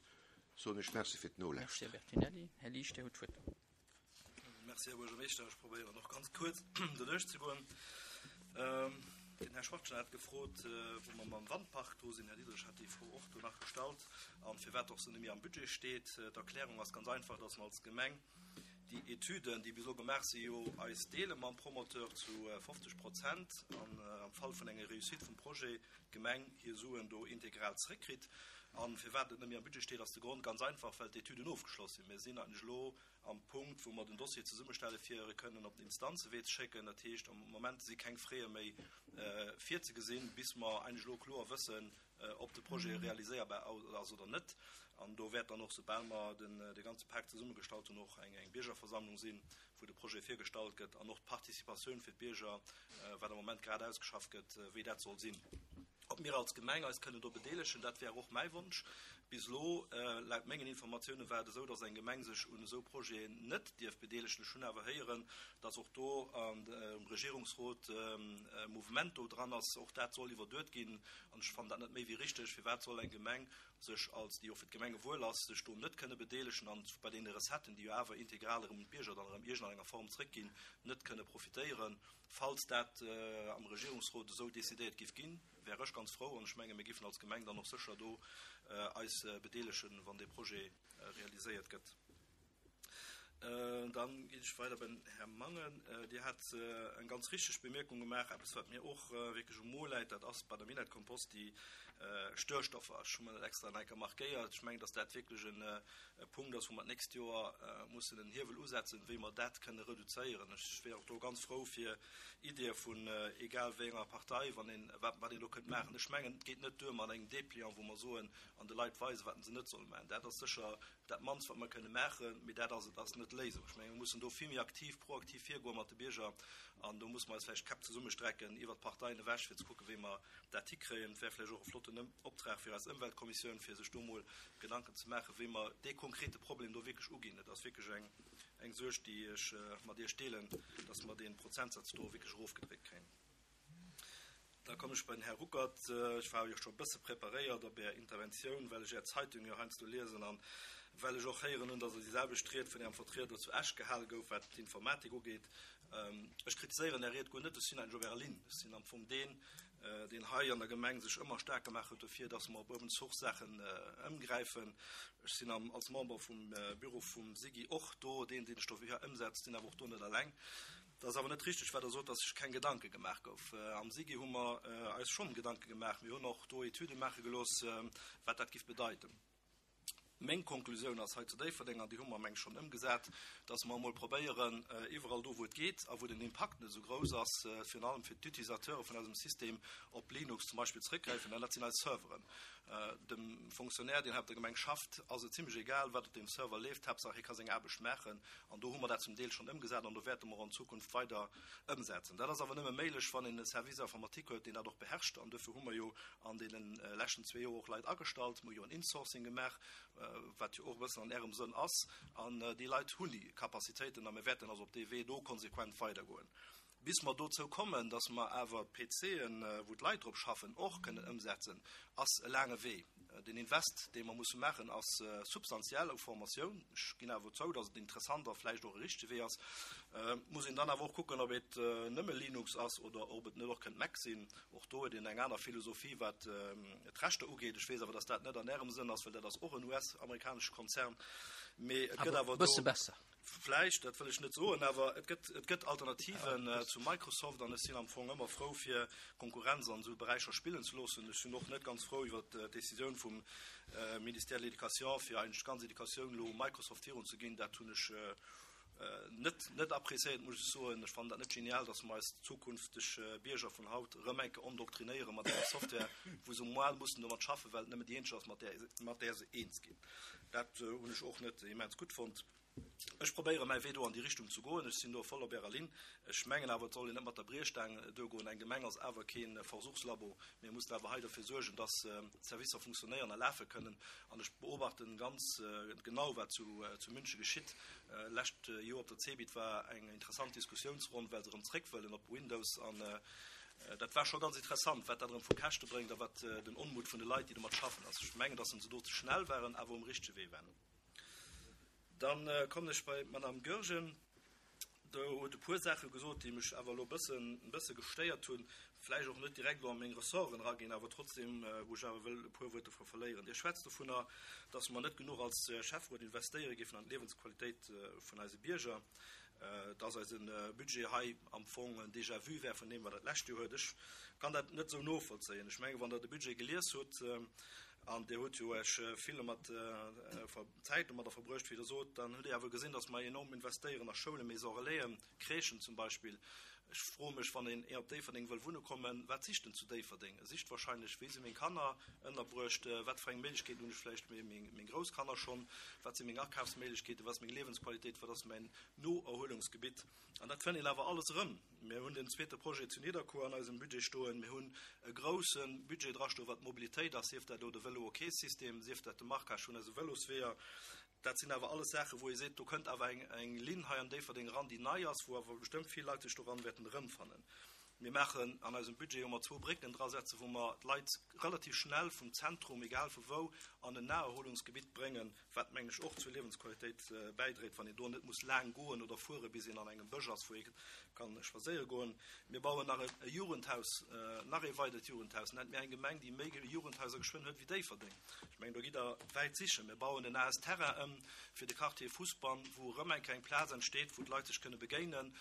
soen ech Merci fir d'Nolauschteren. Merci, Här Bertinelli. Här Liesch, Dir hutt d'Wuert. Merci, Här Buergermeeschter. Ech probéieren och ganz kuerz doduerch ze goen. Den Här Schwachtgen hat gefrot, wou mer mam Wandpark do sinn. Här Diderich hat déi Fro och do nach gestallt an firwat och se net méi am Budget steet. D'Erklärung ass ganz einfach, dass mer als Gemeng déi Etüden, déi bis elo gemaach si jo eis deele mam Promoteur zu fofzeg Prozent an am Fall vun enger Réussite vum Projet d'Gemeng hir Suen do integral zréckkritt. An firwat et net méi am Budget steet, ass de Grond ganz einfach, well d'Etüden ofgeschloss sinn. Mir sinn eigentlech elo am Punkt, wou mer den Dossier zesummestelle fir e kënnen op den Instanzewee ze schécken. Dat heescht, am Moment si keng Frais méi virzegesinn, bis mer eigentlech elo kloer wëssen, ob de Projet realiséierbar ass oder net. An do wäert dann och, soubal mer de ganze Pak zesummegestallt hunn, och eng Biergerversammlung sinn, wou de Projet virgestallt gëtt an och d'Participatioun fir d'Bierger, wat am Moment grad ausgeschafft gëtt, wéi dat soll sinn. Ob mir als Gemeng eis kënnen do bedeelegen, dat wär och mäi Wonsch. Bis elo, laut mengen Informatiounen, war et esou, datt eng Gemeng sech un esou Projeten net dierf bedeelegen. Ech hunn awer héieren, datt och do am Regierungsrot e Mouvement do dran ass. Och dat soll iwwerduet ginn. An ech fannen dat net méi wéi richteg. Firwat soll eng Gemeng sech als, déi och fir d'Gemengewuel ass, sech do net kënne bedeelegen an bei deene Recetten, déi jo awer integral erëm un d'Bierger dann erëm iergendenger Form zréckginn, net kënne profitéieren? Falls dat am Regierungsrot esou decidéiert giff ginn, wär ech ganz frou an ech menge mir giffen als Gemeng dann och sécher do eis bedeelegen, wann dee Projet realiséiert gëtt. Dann ginn ech weider beim Här Mangen. Dir hat eng ganz richteg Bemierkung gemaach, eppes wat mir och wierklech um Mo läit, dat ass bei der Minett Kompost déi Störstoffer. Ech hu mer dat extra nach eng Kéier markéiert. Ech mengen, datt dat wierklech e Punkt ass, wou mer d'nächst Joer mussen en Hiewel usetzen, wéi mer dat kënne reduzéieren. Ech wär och do ganz frou fir Ideeë vun egal wéi enger Partei, wann een, wat, wat een do kënnt maachen. Ech mengen, et geet net duer mat engem Dépliant, wou mer soen an de Leit weisen, wat se net solle maachen. Dat ass sécher dat mannst, wat mer kënne maachen, mee dat ass et ass net d'Léisung. Ech mengen, mir mussen do vill méi aktiv, proaktiv virgoe mat de Bierger an do musse mer eis vläicht d'Käpp zesummestrecken iwwert d'Parteien ewech, fir ze kucken, wéi mer dat hikréien. Et wär vläicht och e flotten Optrag fir eis Ëmweltkommissioun, fir sech do mol Gedanken ze maachen, wéi mer dee konkrete Problem do wierklech uginn. Et ass wierklech eng, eng Suerg, déi ech mat Iech deelen, dass mer dee Prozentsaz do wierklech erofgedréckt kréien. Da kommen ech bei den Här Ruckert. Ech war jo scho e bësse preparéiert op Är Interventioun, well ech Är Zeitung jo heiansdo liesen an well ech och héieren hunn, dass déi selwecht Ried vun Ärem Vertrieder zu Esch gehale gouf, wat d'Informatik ugeet. Ech kritiséieren Är Ried guer net, ech sinn eigentlech op Ärer Linn. Ech sinn am Fong deen, deen hei an der Gemeng sech ëmmer staark gemaach huet dofir, dass mer op Open Source Saachen ëmgräifen. Ech sinn als Member vum Büro vum SIGI och do deen, deen sech dofir ëmsetzt, sinn awer och do net eleng. Dat ass awer net richteg, wat Der sot, dass sech keng Gedanke gemaach gouf. Am SIGI hu mer eis schonn Gedanke gemaach. Mir hunn och do Etüde maache gelooss, wat dat giff bedeiten. Meng Konklusioun ass hei zu Déifferdeng, an déi hu mer, meng ech, schonn ëmgesat, dass mer emol probéieren, iwwerall do, wou et geet a wou den Impakt net esou grouss ass, virun allem fir d'Utilisateure vun eisem System, op Linux zum Beispill zréckgräifen, an dat sinn eis Serveren. Dem Fonctionnaire, deen hei op der Gemeng schafft, ass et zimlech egal, wat op deem Server leeft, Haaptsaach hie ka seng Aarbecht maachen. An do hu mer dat zum Deel schonn ëmgesat an do wäerte mer an Zukunft weider ëmsetzen. Dat ass awer nëmme méiglech, wann een e Service informatique huet, deen dat och beherrscht. An duerfir hu mer jo an deene leschten zwee Joer och Leit agestallt. Mer hu jo en Insourcing gemaach, wat jo och e bëssen an Ärem Sënn ass. An déi Leit hunn déi Capacitéiten a mir wäerten also op dee Wee do konsequent weidergoen. Bis mer dozou kommen, dass mer awer d'PCen, wou d'Leit drop schaffen, och kënnen ëmsetzen, ass e laange Wee. Den Invest, dee mer musse maachen, ass substantiell u Formatioun. Ech ginn awer zou, dass et interessant a vläicht och e richtege Wee ass. Muss een dann awer och kucken, ob et nëmme Linux ass oder ob et net och kënnt Mac sinn. Och do huet een eng aner Philosophie, wat d'Rechter ugeet. Ech weess awer, dass dat net an Ärem Sënn ass, well dat ass och en U S-amerikanesche Konzern. Mee et gëtt awer do. Bësse besser. Vläicht, dat wëll ech net soen, awer et gëtt, et gëtt Alternativen äh, zu Microsoft an ech sinn am Fong ëmmer frou fir Konkurrenz an esou Beräicher spillen ze loossen. Ech sinn och net ganz frou iwwer d'Decisioun vum äh, Ministère de l'Éducation fir eigentlech d'ganz Educatioun lo Microsoft virun ze ginn. Dat hunn ech äh, net, net appréciéiert, muss ech soen. Ech fannen dat net genial, dass mer eis zukünfteg äh, Bierger vun haut erëm eng Kéier endoktrinéiere mat enger Software, wou se mol mussen domat schaffen, well nëmmen déi eenzeg ass, mat där, mat där se eens ginn. Dat äh, hunn ech och net immens gutt fonnt. Ech probéiere mäi Wee do an déi Richtung ze goen. Ech sinn do voll op Ärer Linn. Ech mengen awer, et soll een net mat der Briechstaang duergoen. Eng Gemeng ass awer kee Versuchslabo. Mir mussen awer hei dofir suergen, dass d'Servicer funktionéieren a lafe kënnen. An ech beobachten ganz genau, wat zu zu München geschitt. Lescht Joer op der CeBIT war eng interessant Diskussiounsronn, well se erëm zréck wëllen op Windows. An dat war scho ganz interessant, wat dat erëm vu Käschte bréngt a wat den Onmut vun de Leit, déi domat schaffen, ass. Ech mengen, dass se do ze schnell waren, awer um richtege Wee waren. Dann kommen ech bei d'Madame Goergen. Do huet e puer Saache gesot, déi mech awer elo e bëssen, e bësse gestéiert hunn, vläicht och net direkt elo a meng Ressorten eraginn, awer trotzdem, wou ech awer wëll e puer Wuert dovru verléieren. Dir schwätzt dovunner, dass mer net genuch als Schäfferot investéiere géifen an d'Liewensqualitéit vun eise Bierger, dass eise Budget hei am Fong en Déjà-vu wär vun deem, wat dat lescht Joer huet. Ech kann dat net esou novollzéien. Ech mengen, wann Der de Budget gelies hutt, An Dir hutt jo Iech vill domat Zäit domadder verbruecht, wéi Der sot. Dann hutt Dir awer gesinn, datt mer enorm investéieren a Schoulen, Maisons relaisen, Crèchen zum Beispill. Ech froe mech, wann een op Déifferdeng wëll wunne kommen, wat sicht en zu Déifferdeng? E sicht wahrscheinlech, wéi si meng Kanner ënnerbruecht, wat fir eng Méiglechkeeten hunn ech vläicht méi meng grouss Kanner schonn, wat si meng Akafsméiglechkeeten, wat ass meng Liewensqualitéit, wat ass mäin Noerhuelungsgebitt? An dat fënnt een awer alles erëm. Mir hunn den zweete Projet zu Nidderkuer an eisem Budget stoen. Mir hunn e grousse Budget drastoen, wat d'Mobilitéit ass, sief dat elo de Vélo-OK-System, sief dat de Marquage vun eise Vëlosweeër. Dat sinn awer alles Saachen, wou ee seet, do kënnt awer eng, eng Linn hei an Déifferdeng eran, déi nei ass, wou awer bestëmmt vill Leit sech doran wäerten erëmfannen. Mir maachen an eisem Budget, wou mer zwou Brécken drasetzen, wou mer d'Leit relativ schnell vum Zentrum, egal vu wou, an en Naherholungsgebitt bréngen, wat, mengen ech, och zur Liewensqualitéit bäidréit, wann een do net muss laang goen oder fuere bis een an engem Bësch ass, wou ee ka spadséiere goen. Mir bauen nach e Jugendhaus, nach ee weidert Jugendhaus. Nennt mir eng Gemeng, déi méi Jugendhaiser geschwënn huet wéi Déifferdeng. Ech mengen, do gitt Der wäit sichen. Mir bauen en A S Terrain ëm fir de Quartier Fousbann, wou erëm eng kleng Plaz entsteet, wou d'Leit sech kënne begéinen,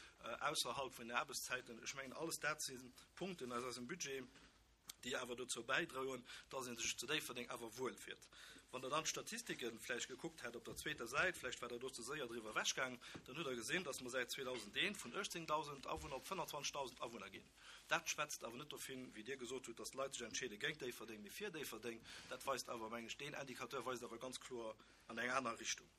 ausserhalb vun den Aarbechtszäiten. Ech mengen, alles dat si Punkten aus eisem Budget, déi awer dozou bäidroen, dass ee sech zu Déifferdeng awer wuel fillt. Wann Der dann d'Statistike vläicht gekuckt hätt op der zweeter Säit, vläicht war Der do ze séier driwwer ewechgaang, dann hutt Der gesinn, dass mer säit zweedausendeen vun uechtzéngdausend Awunner op fënnefenzwanzegdausend Awunner ginn. Dat schwätzt awer net dovun, wéi Dir gesot hutt, dass d'Leit sech entscheede géint Déifferdeng, mee fir Déifferdeng. Dat weist awer, mengen ech, deen Indicateur weist awer ganz kloer an eng aner Richtung.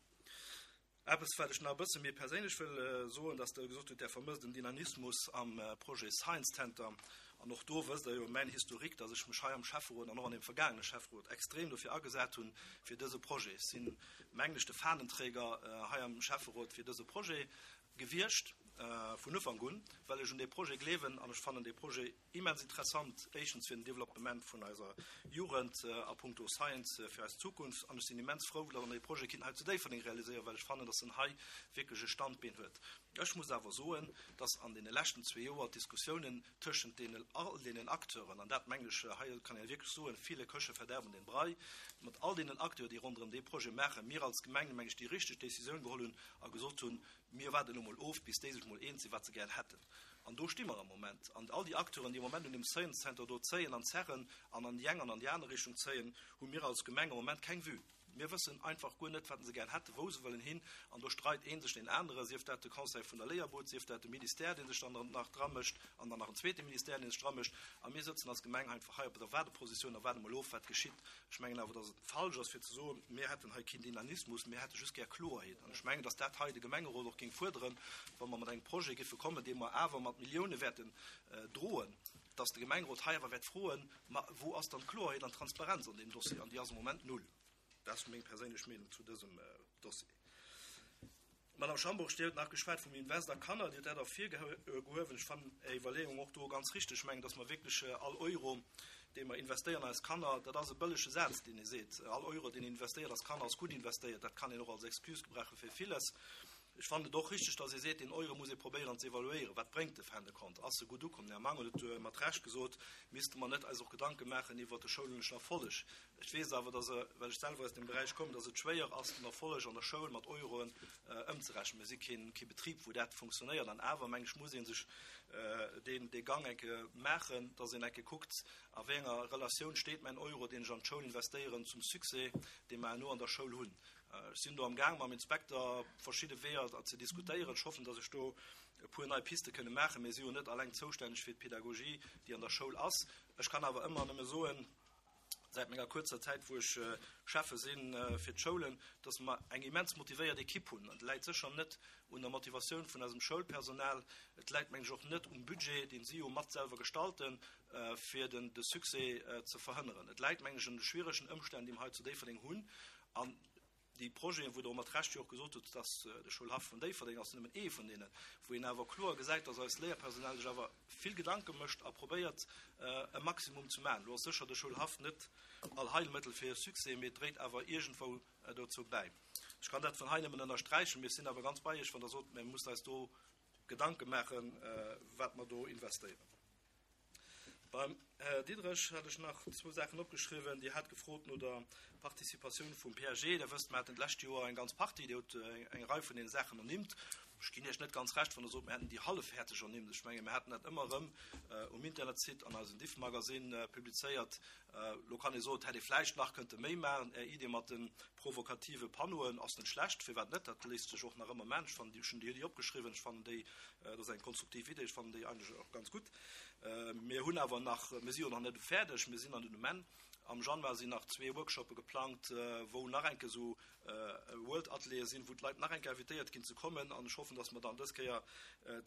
Eppes, wat ech nach e bësse méi perséinlech wëll soen, dass Der gesot hutt, Der vermësst en Dynamismus am Projet Science Center. An och do wësst Der jo mäin Historique, dass ech mech hei am Schäfferot an och an deem vergaangene Schäfferot extrem dofir agesat hunn, fir dëse Projet. Ech sinn, mengen ech, de Fahnenträger hei am Schäfferot fir dëse Projet gewiescht vun Ufank un, well ech un dee Projet gleewen an ech fannen dee Projet immens interessant, éischtens fir den Developpement vun eiser Jugend a puncto Science fir eis Zukunft, an ech sinn immens frou, datt mer dee Projet kinnten hei zu Déifferdeng realiséieren, well ech fannen, datt en hei wierklech e Standbeen huet. Ech muss awer soen, datt an deene leschten zwee Joer d'Diskussiounen tëschent deenen, all deenen Acteuren, an dat mengen ech, hei kann ee wierklech soen, viele Köche verderben den Brei, mat all deenen Acteuren, déi ronderëm dee Projet maachen, mir als Gemeng, meng ech, déi richteg Décisioun geholl hunn a gesot hunn, mir waarden elo mol of, bis déi sech mol eens sinn, wat se gär hätten. An do sti mer am Moment. An all déi Acteuren, déi am Moment un deem Science Center do zéien an zerren an an déi eng an an déi aner Richtung zéien, hu mir als Gemeng am Moment keng Vue. Mir wëssen einfach guer net, wat se gär hätten, wou se wëllen hin. An do streit ee sech deen anere, sief dat de Conseil vun der Léierbud, sief dat de Ministère, dee sech dann nach dramëscht, an dann nach en zweete Ministère, dee sech dramëscht. A mir sëtzen als Gemeng einfach hei op der Waardepositioun a waarde mol of, wat geschitt. Ech mengen awer, dass et falsch ass, fir ze soen, mir hätten hei keen Dynamismus, mir hätte just gär Kloerheet. An ech mengen, dass dat hei de Gemengerot och géing fuerderen, wa mer mat engem Projet géife kommen, dee mer awer mat Millioune wäerten droen, dass de Gemengerot hei awer wäert froen, Ma wou ass dann d'Kloerheet an d'Transparenz an deem Dossier? An déi ass am Moment null. Dat ass meng perséinlech Meenung zu dësem Dossier. Madame Schambourg, Dir hutt nach geschwat vum Invest a Kanner, Dir hutt dat ervirgehuewen. Ech fannen Är Iwwerleeung och do ganz richteg. Ech mengen, dass mer wierklech all Euro, dee mer investéieren an eis Kanner, dat ass e bëllege Saz, deen ee seet, all Euro, deen een investéiert als Kanner, ass gutt investéiert. Dat kann een och als Excuse gebrauche fir villes. Ech fannen et och richteg, dass ee seet, deen Euro muss ee probéieren ze evaluéieren. Wat bréngt de fin de compte? Ass e gutt ukomm? Den Här Mangen huet mat Recht gesot, misste mer net eis och Gedanke maachen iwwert de schouleschen Erfolleg. Ech weess awer, dass, well ech selwer aus deem Beräich kommen, dass et schwéier ass, den Erfolleg an der Schoul mat Euroen ëmzerechnen. Mir si keen, kee Betrib, wou dat funktionéiert. An awer, meng ech, muss ee sech deen, dee Gang eng Kéier maachen, dass een eng Kéier kuckt, a wéi enger Relatioun steet mäin Euro, deen ech an d'Schoul investéieren, zum Succès, dee mer herno an der Schoul hunn. Ech sinn do am Gaang mam Inspekter verschidde Weeër ze diskutéieren. Ech hoffen, dass ech do e puer nei Piste kënne maachen. Mir si jo net alleng zoustänneg fir d'Pedagogie, déi an der Schoul ass. Ech kann awer ëmmer nëmme soen, säit menger kuerzer Zäit, wou ech Schäffe si fir d'Schoulen, dass mer eng immens motivéiert Ekipp hunn. Et läit sécher net un der Motivatioun vun eisem Schoulpersonal. Et läit, meng ech, och net um Budget, deen si jo mat selwer gestalten, fir den de Succès ze verhënneren. Et läit, meng ech, un de schwieregen Ëmstänn, déi mer hei zu Déifferdeng hunn. An déi Projeten, wou Der och mat Recht jo och gesot hutt, dass de Schoulhaff vun Déifferdeng ass nëmmen ee vun deenen, wou een awer kloer gesäit, dass eist Léierpersonal sech awer vill Gedanke mécht a probéiert, e Maximum ze maachen. Elo ass sécher de Schoulhaff net Allheilmëttel fir e Succès, mee et dréit awer iergendwou dozou bäi. Ech kann dat vun hei nëmmen ënnersträichen, mee ech sinn awer ganz bei Iech, wann Der sot, mir mussen eis do Gedanke maachen, wat mer do investéieren. Beim Här Diderich hat ech nach zwou Saachen opgeschriwwen. Dir hat gefrot no der Participatioun vum P A G. Der wësst, mir haten d'lescht Joer eng ganz Partie, Dir hutt eng Rei vun deene Saachen ernimmt. Ech ginn Iech net ganz Recht, wann Der sot, mir hätten déi hallefhäerzeg ernimmt. Ech menge mir haten dat ëmmer erëm um Internetsite an eisem Diffmagazin publizéiert. Elo kann ee soen, et hätt ee vläicht nach kënnte méi maachen. Är Idee mat de provokative Panneauen ass net schlecht, firwat net? Dat léisst sech och nach ëmmer maachen. Ech fannen déi, ech hunn déi opgeschriwwen, ech fannen déi, dat ass eng konstruktiv Idee, ech fannen déi eigentlech och ganz gutt. Mir hunn awer nach, mir si jo nach net fäerdeg, mir sinn an den Moment. Am Januar sinn nach zwee Workshoppe geplangt, wou nach eng Kéier esou World Ateliere sinn, wou d'Leit nach eng Kéier invitéiert ginn ze kommen. An ech hoffen, dass mer dann dës Kéier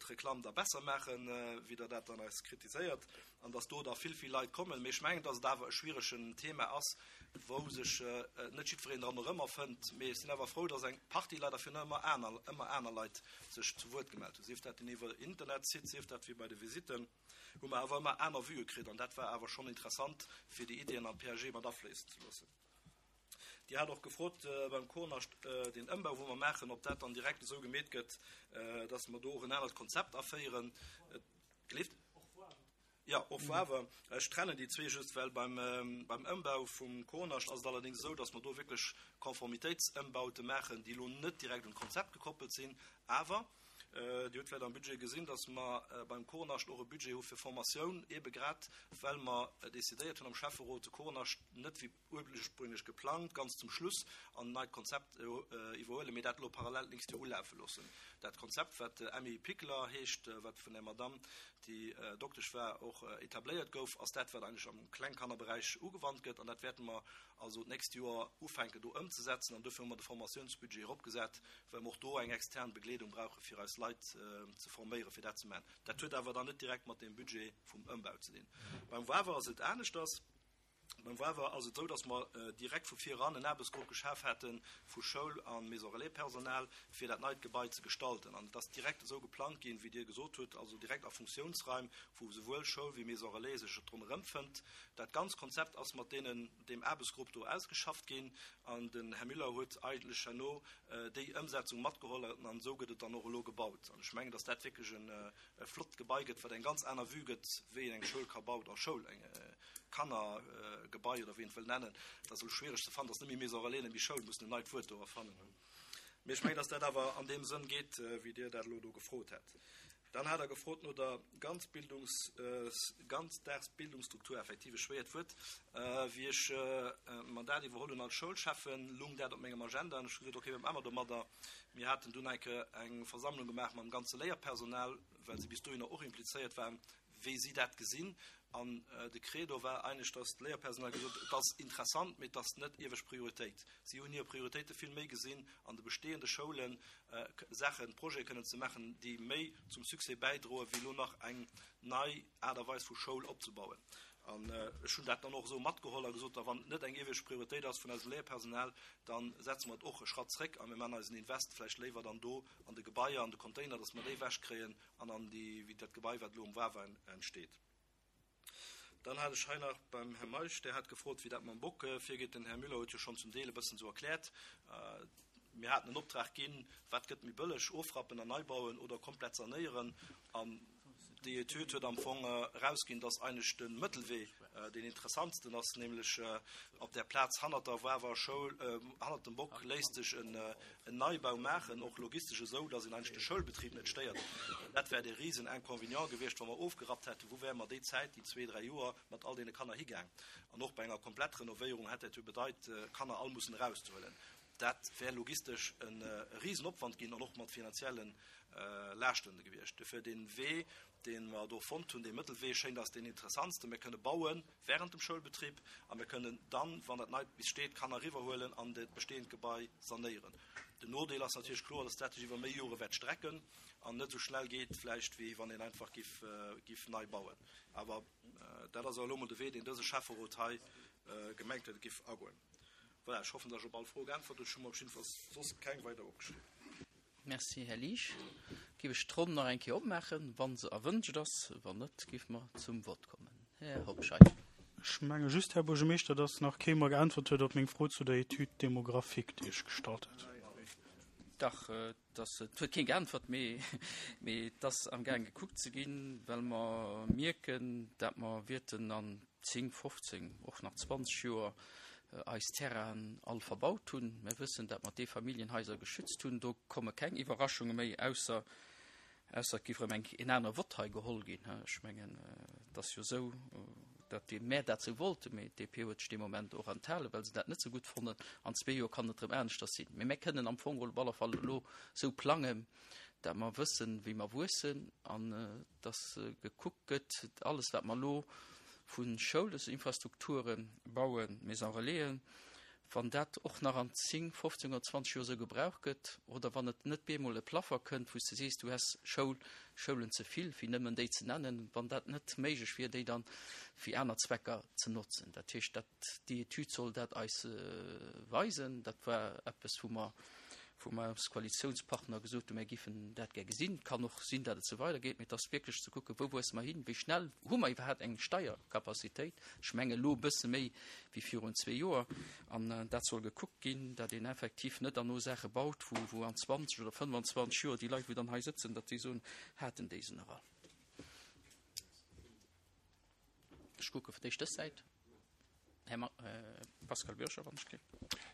d'Reklamm da besser maachen, wéi Der dat dann eis kritiséiert, an dass do da vill, vill Leit kommen. Mee ech mengen, dass et awer e schwieregen Thema ass, wou sech net jiddwereen dran erëmerfënnt. Mee ech sinn awer frou, dass eng Partie Leit, a virun allem ëmmer aner, ëmmer aner Leit sech zu Wuert gemellt hunn, sief dat iwwer Internetsite, sief dat wéi bei de Visitten. hu mer awer ëmmer aner Vuë kritt an dat war awer schonn interessant, fir déi Iddien am P A G mat afléissen ze loossen. Dir hat och gefrot beim Kornascht, deen Ëmbau, wou mer maachen, ob dat dann direkt esou gemeet gëtt, dass mer do och en anert Konzept aféieren. Gleeft? Ja, och Wawer. Ech trennen déi zwee just, well beim, beim Ëmbau vum Kornascht ass et allerdéngs esou, dass mer do wierklech Konformitéitsëmbaute maachen, déi elo net direkt un d'Konzept gekoppelt sinn, awer Dir hutt vläicht am Budget gesinn, dass mer beim Kornascht och e Budget hu fir Formatioun, eebe grad well mer decidéiert hunn am Schäfferot, de Kornascht net wéi ursprünglech geplangt ganz zum Schluss an en neit Konzept iwwerhuelen, mee dat elo parallel d'nächst Joer ulafe loossen. Dat Konzept, wat Emmy Pickler heescht, wat vun där Madamm, déi Doktesch war, och etabléiert gouf, ass dat, wat eigentlech am Klengkannerberäich ugewannt gëtt. An dat wäerte mer also d'nächst Joer ufänken do ëmzesetzen. An dofir hu mer de Formatiounsbudget eropgesat, well mer och do eng extern Begleedung brauche fir eis Leit ze forméieren, fir dat ze maachen. Dat huet awer dann net direkt mat deem Budget vum Ëmbau ze dinn. Beim Wawer ass et aneschters. Beim Wawer ass et esou, dass mer direkt vu vir eran en Aarbechtsgrupp geschaf hate vu Schoul a Maison Relais-Personal, fir dat neit Gebai ze gestalten. An et ass direkt esou geplangt ginn, wéi Dir gesot hutt, also direkt a Funktiounsraim, wou souwuel Schoul wéi Maison Relais sech et drun erëmfënnt. Dat ganz Konzept ass mat deenen, deem Aarbechtsgrupp do ausgeschafft ginn. An den Här Müller huet eigentlech herno déi Ëmsetzung matgeholl an esou gëtt et dann och elo gebaut. An ech mengen, dass dat wierklech e flott Gebai gëtt, wat eng ganz aner Vue gëtt, wéi een eng Schoul ka bauen, oder Schoul, eng Kannergebai oder wéi een et wëll nennen. Dat ass elo schwiereg ze fannen, dat ass net méi Maison Relais, net méi Schoul, mussen en neit Wuert do erfannen. Mee ech mengen, dass dat awer an deem Sënn geet, wéi Dir dat elo do gefrot hat. Dann hat er gefrot no der Ganzbildungs-, Ganzdagsbildungsstruktur, effektiv e schwéiert Wuert. Wéi ech d'Mandat iwwerholl hunn als Schoulschäffen, lung dat op mengem Agenda an ech hu gesot, okay, wat maache mer domadder? Mir haten dunn eng Kéier eng Versammlung gemaach mam ganze Léierpersonal, well si bis dohinner och implizéiert waren, wéi si dat gesinn. An de Credo war eigentlech, dass d'Léierpersonal gesot huet, et ass interessant, mee et ass net iewescht Prioritéit. Si hunn hir Prioritéite vill méi gesinn, an de bestehende Schoulen Saachen, Projete kënnen ze maachen, déi méi zum Succès bäidroen, wéi elo nach eng nei Aart a Weis vu Schoul opzebauen. An ech hunn dat dann och esou matgeholl a gesot, da wann et net eng iewescht Prioritéit ass vun eisem Léierpersonal, da setze mer et och e Schratt zréck a mir maachen eisen Invest vläicht léiwer dann do an de Gebaier, an de Container, dass mer déi ewechkréien an an déi, wéi dat Gebai, wat elo um Wawer entsteet. Dann hat ech hei nach beim Här Meisch, där hat gefrot, wéi dat mam Bock virgeet. Den Här Müller huet jo schonn zum Deel e bëssen esou erkläert. Mir haten en Optrag ginn, wat gëtt méi bëlleg, ofrappen an nei bauen oder komplett sanéieren. An déi Etüd huet am Fong erausginn, dass eigentlech de Mëttelwee deen interessantsten ass, nämlech op där Plaz hannert der Wawer Schoul, hannert dem Bock léisst sech en Neibau maachen, och logistesch esou, dass een eigentlech de Schoulbetrib net stéiert. Dat wär dee risen Inconvénient gewiescht, wa mer ofgerappt hätten, wou wäre mer déi Zäit, déi zwee, dräi Joer, mat all deene Kanner higaang. An och bei enger Komplettrenovéierung hätt dat jo bedeit, Kanner all mussen erauszehuelen. Dat wär logistesch e Risenopwand ginn an och mat finanzielle Laaschten gewiescht. Dofir dee Wee, dee mer do fonnt hunn, dee Mëttelwee, schéngt eis deen interessantsten. Mir kënne baue während dem Schoulbetrib a mir kënnen dann, wann dat Neit bis steet, d'Kanner eriwwerhuelen an dat bestehend Gebai sanéieren. Den Nodeel ass natierlech kloer, dass dat sech iwwer méi Jore wäert strecken an net esou schnell geet vläicht, wéi wann een einfach giff, giff nei bauen. Awer dat ass elo emol de Wee, deen dëse Schäfferot hei gemengt huet, et giff agoen. Voilà, ech hoffen, dass ech op all Fro geäntwert hunn. Ech hu mer op jiddefalls soss keng weider opgeschriwwen. Merci, Här Liesch. Géif ech d'Ronn nach eng Kéier opmaachen, wa se erwënscht ass. Wann net, géife mer zum Vott kommen. Här Hobscheit. Ech menge just, Här Buergermeeschter, dass nach kee mer geäntwert huet op meng Fro zu der Étude démographique, déi ech gestallt hat. Dach, et huet keen geäntwert, mee et ass amgaang gekuckt ze ginn, well mer mierken, dat mer wäerten an zéng, fofzéng, och nach zwanzeg Joer eis Terrainen all verbaut hunn. Mir wëssen, dat mer d'Eefamilljenhaiser geschützt hunn. Do komme keng Iwwerraschunge méi, ausser, ausser et géif erëm eng, en anere Vott hei geholl ginn. Ech mengen, et ass jo esou, dat déi mär dat esou wollten, mee d'D P huet sech dee Moment och enthalen, well se dat net esou gutt fannen. An zwee Joer kann et erëm aneschters sinn. Mee mär kënnen am Fong op alle Fall elo esou plangen, dat mer wëssen, wéi mer wuessen an dass gekuckt gëtt, alles wat mer elo vu Schoulesinfrastrukture bauen, Maison Relaisen, wann dat och nach an zéng, fofzéng oder zwanzeg Joer esou gebraucht gëtt, oder wann et net bemol e Plaffer kënnt, wou s de sees, du häss Schoul, Schoulen ze vill, fir nëmmen déi ze nennen, wann dat net méiglech wier, déi dann fir aner Zwecker ze notzen. Dat heescht, dat, déi Etüd soll dat eis weisen. Dat war eppes, wou mer, wou mer als Koalitiounspartner gesot hunn, mir giffen dat gär gesinn. Et kann och sinn, datt et esou weidergeet, mee et ass wierklech ze kucken, wou wuesse mer hin, wéi schnell hu mer iwwerhaapt eng Steiercapacitéit. Ech menge elo e bësse méi wéi virun zwee Joer. An dat soll gekuckt ginn, datt een effektiv net herno Saache baut, wou, wou an zwanzeg oder fënnefanzwanzeg Joer déi Leit, wou dann hei sëtzen, datt déi soen, haten déi se nach all. Ech kucke fir d'éischt dës Säit. Här Ma-, Pascal Bürcher, wann ech gleef.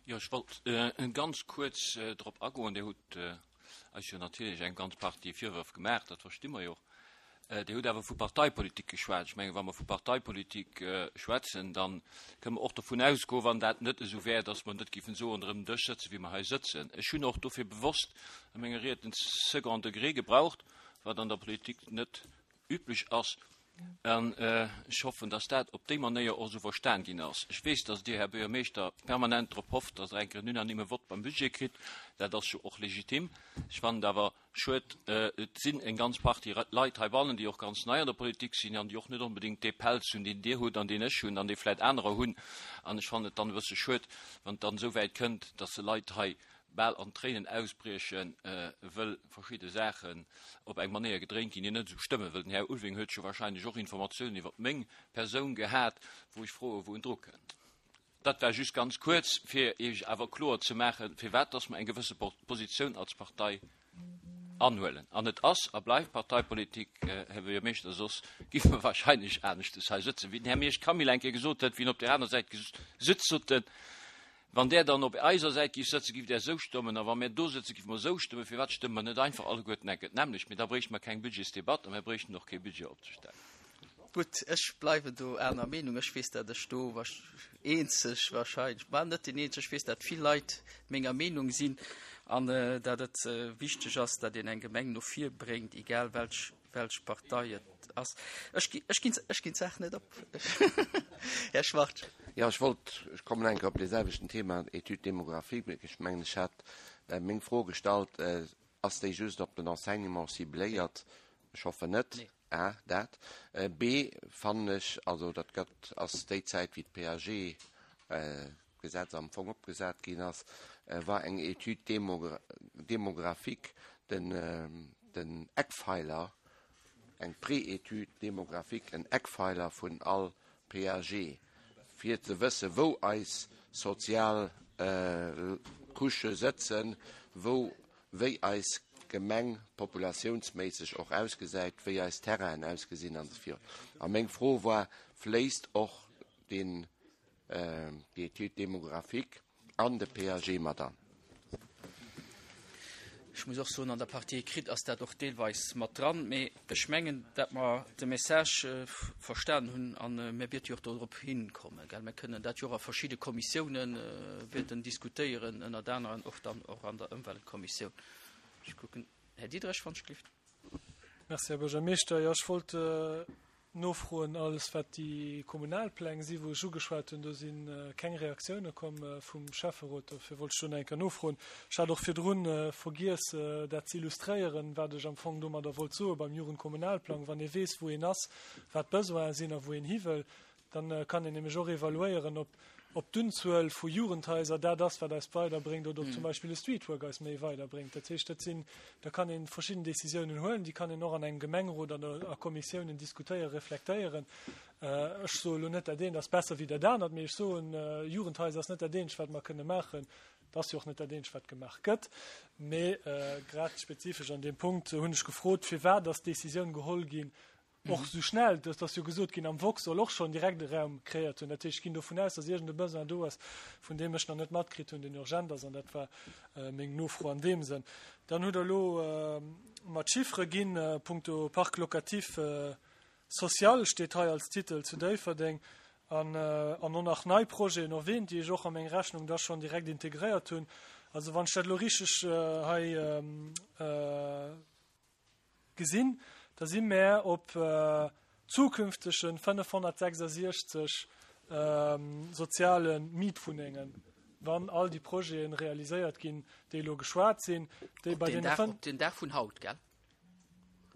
Jo, ech wollt ganz kuerz drop agoen. Dir hutt eis jo natierlech eng ganz Partie Virwërf gemaach, dat versti mer jo och. Dir hutt awer vu Parteipolitik geschwat. Ech mengen, wa mer vu Parteipolitik schwätzen, dann kënne mer och dovun ausgoen, wann dat net esou wär, dass mer net géifen esou ronderëm den Dësch sëtzen, wéi mer hei sëtzen. Ech hunn och dofir bewosst a menger Ried den Second Degré gebraucht, wat an der Politik net üblech ass. An ech hoffen, dass dat op déi Manéier och esou verstan ginn ass. Ech weess, dass Dir, Här Buergermeeschter, permanent drop hofft, dass Der eng Kéier en unanime Vott beim Budget kritt. Dat ass jo och legitim. Ech fannen et awer schued, et sinn eng ganz Partie Leit heibannen, déi och ganz nei an der Politik sinn an déi och net onbedéngt dee Pelz hunn, deen Dir hutt an deen ech hunn an dee vläicht anerer hunn. An ech fannen et dann e bësse schued, wann et dann esou wäit kënnt, dass se Leit hei bal an Tréinen ausbriechen, wëll verschidde Saachen op eng Manéier gedréint ginn, déi net esou stëmmen. Wëll den Här Ulving huet jo wahrscheinlech och Informatiounen iwwer meng Persoun gehat, wou ech froe wou en dru kënnt. Dat war just ganz kuerz, fir Iech awer kloer ze maachen, firwat dass mer eng gewësse Positioun als Partei anhuelen. An et ass a bleift Parteipolitik, Här Buergermeeschter, soss gi mer wahrscheinlech aneschtes hei sëtzen. Wéi den Här Miersch Camille eng Kéier gesot huet, wéi en op der aner Säit gesutzt huet, wann der dann op eiser Säit giff sëtzen, giff der esou stëmmen, a wa mir do sëtzen, giff mer esou stëmmen. Firwat stëmme mer net einfach alleguerten enke d'nämmlecht? Mee da bréichte mer keng Budgetsdebatt a mir bréichten och kee Budget opzestellen. Gutt, ech bleiwen do aner Meenung. Ech weess, dat ech do eenzeg wahrscheinlech, ma net den eenzeg, ech weess, dat vill Leit menger Meenung sinn an dat et wichteg ass, dat een eng Gemeng no vir bréngt, egal welch, welch Partei et ass. Ech gi, ech ginn, ech ginn d'Saach net op. Här Schwartz. Ja, ech wollt, ech kommen enke op dee selwechten Thema, Étude démographique. Ech mengen, ech hat meng Fro gestallt, ass déi just op den Enseignement cibléiert? Ech hoffen net. Nee. A, dat. B, fannen ech, also dat gëtt, ass déi Zäit, wéi d'P A G Gesetz am Fong opgesat ginn ass, war eng Étude démographique den, den Eckpfeiler, eng Pré-Étude démographique, en Eckpfeiler vun all P A G, fir ze wësse wou eis sozial äh, Couchë sëtzen, wou wéi eis Gemeng populatiounsméisseg och ausgesäit, wéi eis Terrainen ausgesinn an esou virun. A meng Fro war, fléisst och den äh, déi Étude démographique an de P A G mat an? Ech muss och soen, an der Partie écrite ass dat och deelweis mat dran, mee ech mengen, dat mer de Message äh, verstan hunn an äh, mir wäerte jo och dorop hinkommen. Gell? Mir kënnen dat jo a verschidde Kommissiounen äh, wäerten diskutéieren, ënnert aneren och dann och an der Ëmweltkommissioun. Ech kucken, Här Diederich van Schlift. Merci, Här Buergermeeschter. Jo, ech wollt äh, nofroen, alles wat déi Kommunalpläng si wou ech ugeschwat hunn, do sinn äh, keng Reaktioune komm äh, vum Schäfferot, dofir wollt ech schonn eng Kéier nofroen. Ech hat och virdrun äh, vergiess äh, dat ze illustréieren, wat ech am Fong domadder wollt soe beim Jugendkommunalplang, wann ee weess, wou een ass, wat d'Besoine sinn a wou een hi wëll, dann äh, kann een nämlech och evaluéieren, ob ob d'Unzuel vu Jugendhaiser dat ass, wat eis weiderbréngt oder ob mm. zum Beispill e Streetwork eis méi weiderbréngt. Dat heescht, dat sinn, da kann een verschidden Decisiounen huelen, déi kann een och an engem Gemengerot oder a Kommissiounen diskutéieren, reflektéieren. Äh, ech soe lo net, dat eent ass besser wéi dat anert, mee ech soen äh, Jugendhaiser ass net dat eenzegt, wat mer kënne maachen. Dat ass jo och net dat eenzegt, wat gemaach gëtt. Mee äh, grad spezifesch an deem Punkt hunn ech gefrot, firwat ass d'Decisioun geholl ginn, och sou schnell, dass dat jo gesot ginn am Vox soll och schonn direkt de Raum kreéiert hunn. Dat heescht, ech ginn dovun aus, dass iergend e Besoin do ass, vun deem ech nach net matkritt hunn, deen urgent ass an dat war äh, meng Nofro an deem Sënn. Dann hutt der lo äh, mat Chiffere ginn äh, punkto Parc locatif äh, social steet hei als Titel zu Déifferdeng an, äh, an och nach nei Projeten erwähnt, déi ech och a meng Rechnung da schonn direkt integréiert hunn. Also wann ech dat lo richteg äh, hei ähm, äh, gesinn, da si mer op äh, zukünftege fënnefhonnertsechsasechzeg ähm, soziale Mietwunnengen, wann all déi Projete realiséiert ginn, déi lo geschwat sinn, déi bei den Dag, op den Dag vun haut, gell?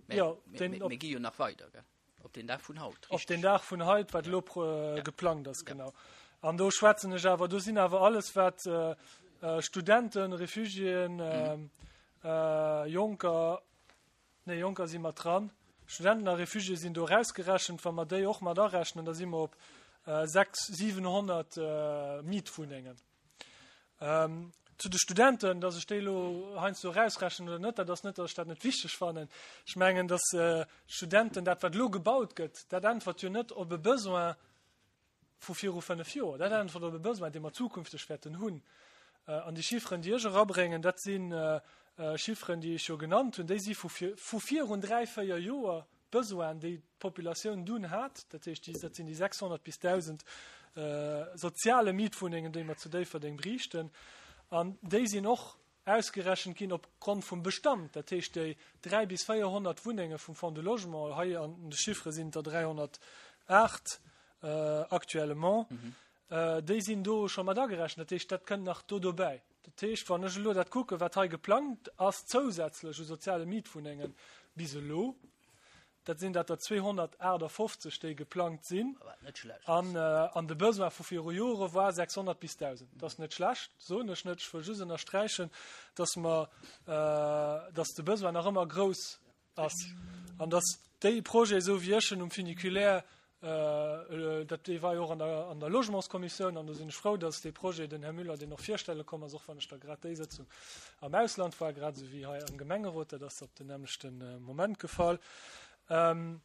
Ja, den, op, gi jo nach weider, gell? Op den Dag vun haut. Op den Dag vun haut, wat lo äh, geplangt ass, ja. Genau. An do schwätzen ech awer, do sinn awer alles wat äh, äh, Studenten, Refugiéen, äh, mhm. äh, Jonker, nee, Jonker si mat dran. Studenten a Refugiéë sinn do rausgerechent, wa mer déi och mat arechnen, da si mer op äh, sechs, siwenhonnert äh, Mietwunnengen. Ähm, zu de Studenten, dass ech déi lo heiansdo rausrechnen oder net, dat ass net, dass ech dat net wichteg fannen. Ech mengen, dass äh, Studenten dat wat lo gebaut gëtt, dat äntwert jo net op e Besoin vu viru fënnef Joer. Dat äntwert op e Besoin, dee mer zukünfteg wäerten hunn. Äh, an déi Chifferen, déi ech erabréngen, dat sinn äh, äh, Chifferen, déi ech jo genannt hunn, déi si vu vu virun dräi, véier Joer Besoin, déi d'Populatioun dunn hat, dat heescht, déi, dat sinn déi sechshonnert bis dausend äh, soziale Mietwunnengen, déi mer zu Déifferdeng bräichten. An déi sinn och ausgerechent ginn opgrond vum Bestand, dat heescht déi dräi bis véierhonnert Wunnenge vum Fonds de Logement, hei an de Chiffere sinn der dräihonnertaacht äh, actuellement, mhm. äh, déi sinn do scho mat agerechent, dat heescht, dat kënnt nach do dobäi. Dat heescht, wann ech elo dat kucke wat hei geplangt ass zousätzlech u soziale Mietwunnengen bis elo, dat sinn dat der zweehonnertaachtafofzeg déi geplangt sinn an äh, an de Besoin vu viru Jore war sechshonnert bis dausend. Dat ass net schlecht, soen ech net, ech wëll just ënnersträichen, dass mer äh, dass de Besoin nach ëmmer grouss ass an dass déi Projet sou wéi ech en um Funiculaire äh, dat dee war jo och an der, an der Logementskommissioun an do sinn ech frou, dass dee Projet den Här Müller deen och virstelle komm ass, och wann ech da grad déi Sëtzung am Ausland war, grad sou wéi hei am Gemengerot, dat ass op den nämmlechten äh, Moment gefall. Ähm,